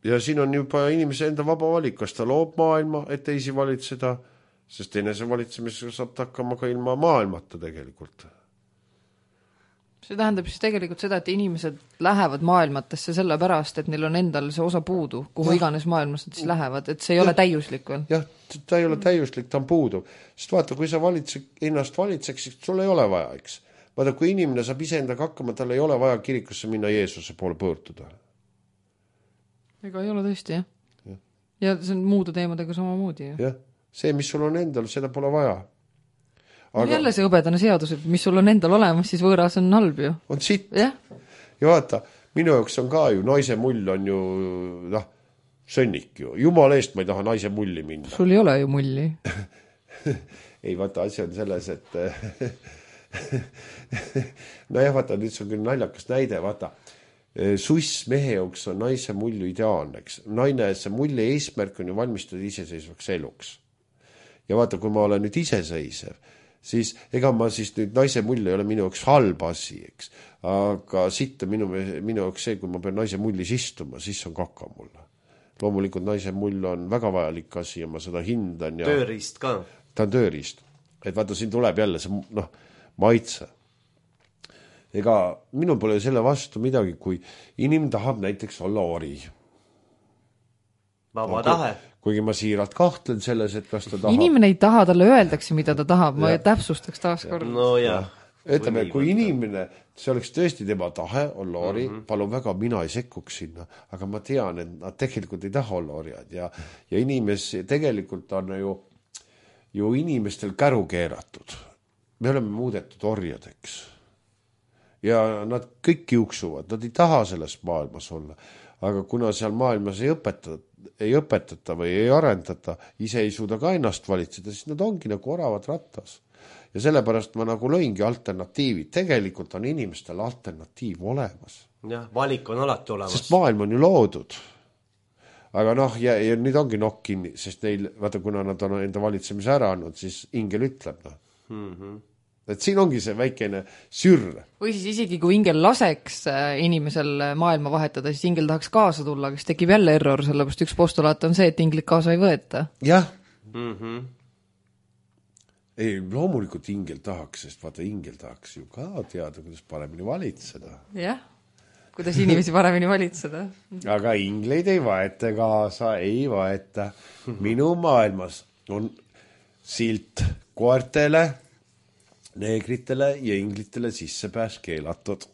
Ja siin on juba inimese enda vaba valik, kas ta loob maailma, et teisi valitseda, sest enese valitsemisega saab ta hakkama ka ilma maailmata tegelikult. see tähendab siis tegelikult seda, et inimesed lähevad maailmatesse selle pärast, et neil on endal see osa puudu, kuhu ja. iganes maailmas nad siis lähevad, et see ei ja. ole täiuslik veel. Jah, ta ei ole täiuslik, ta on puudu. Sest vaata, kui sa valitsed, ennast valitseks, siis sul ei ole vaja, eks. Vaata, kui inimene saab iseendaga hakkama, tal ei ole vaja kirikusse minna Jeesuse poole pöörduda. Ega ei ole tõesti, jah. Ja, ja see on muude teemadega samamoodi. Jah, jah. See, mis sul on endal, seda pole vaja. Aga... jälle see õbedane seadus, et mis sul on endal olemas, siis võõras on halb ju. On sitt. Ja, ja vaata, minu jaoks on ka ju, naise mull on ju, noh, sõnnik ju. Jumala eest ma ei taha naise mulli minna. Sul ei ole ju mulli. ei, vaata, asi on selles, et no jah, vaata, nüüd see on küll naljakas näide, vaata, suss mehe jaoks on naise mullu ideaalneks. Naine, see mulli eesmärk on ju valmistada iseseisvaks eluks. Ja vaata, kui ma olen nüüd iseseisev, siis ega ma siis nüüd naise mull ei ole minu jaoks halb asi, eks. Aga sitta minu, minu jaoks see, kui ma pean naise mullis istuma, siis on kaka mulle. Loomulikult naise mull on väga vajalik asi ja ma seda hindan. Ja tööriist ka. Ta on tööriist. Et vaata, siin tuleb jälle see noh, maitse. Ega minul pole selle vastu midagi, kui inim tahab näiteks olla ori. Vaba no, tahe. Kuigi ma siiralt kahtlen selles, et kas ta tahab. Inimene ei taha, talle öeldakse, mida ta tahab, ma ja. täpsustaks taas kord. No jah. Ütleme, kui inimene, see oleks tõesti tema tahe olla ori, mm -hmm. palun väga, mina ei sekkuks sinna, aga ma tean, et nad tegelikult ei taha olla orjad ja, ja inimes tegelikult on ju, ju inimestel käru keeratud. Me oleme muudetud orjadeks. Ja nad kõik juuksuvad, nad ei taha selles maailmas olla. Aga kuna seal maailmas ei õpetata, ei õpetata või ei arendata, ise ei suuda ka ennast valitseda, siis nad ongi nagu oravad rattas. Ja sellepärast ma nagu lõingi alternatiivid. Tegelikult on inimestel alternatiiv olemas. Jah, valik on alati olemas. Sest maailm on ju loodud. Aga noh, ja, ja nüüd ongi nokk kinni, sest neil, vaata, kuna nad on enda valitsemise ära andnud, siis ingel ütleb. No. Mm-hmm. Et siin ongi see väikene sürr. Või siis isegi kui ingel laseks inimesel maailma vahetada, siis ingel tahaks kaasa tulla, kes tekib jälle error, sellepärast üks postulaat on see, et inglit kaasa ei võeta. Jah. Mm-hmm. Ei, loomulikult ingel tahaks, sest vaata, ingel tahaks ju ka teada, kuidas paremini valitseda. Jah, kuidas inimesi paremini valitseda. Aga ingleid ei vaeta kaasa, ei vaeta. Minu maailmas on silt koertele, neegritele ja inglitele sissepääs keelatud.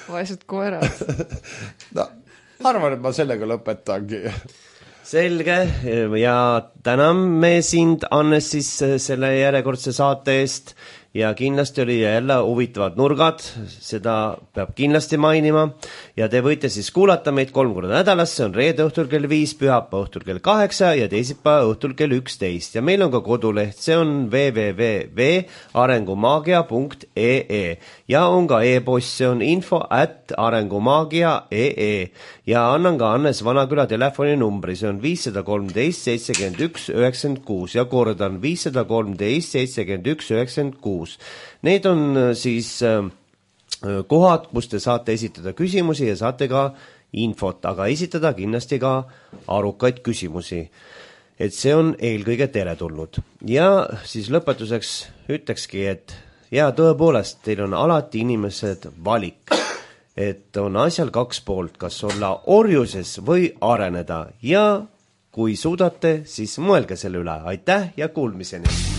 Vaesed koerad. No, arvan, et ma sellega lõpetangi. Selge ja täname sind, Annes, siis selle järjekordse saate eest ja kindlasti oli jälle huvitavad nurgad, seda peab kindlasti mainima ja te võite siis kuulata meid kolm korda nädalas, see on reede õhtul kell viis, pühapa õhtul kell kaheksa ja teisipäeva õhtul kell üksteist ja meil on ka koduleht, see on w w w punkt arengumaagia punkt e e ja on ka e-post, see on info at arengumaagia punkt e e ja annan ka Annes Vanaküla telefoni numbri, see on viis kolm seitsekümmend üks üheksakümmend kuus ja kordan viis kolm seitsekümmend üks üheksakümmend kuus. Need on siis kohad, kus te saate esitada küsimusi ja saate ka infot, aga esitada kindlasti ka arukaid küsimusi. Et see on eelkõige teretulnud. Ja siis lõpetuseks ütlekski, et ja tõepoolest, teil on alati inimesed valik, et on asjal kaks poolt, kas olla orjuses või areneda ja kui suudate, siis mõelge selle üle. Aitäh ja kuulmiseni!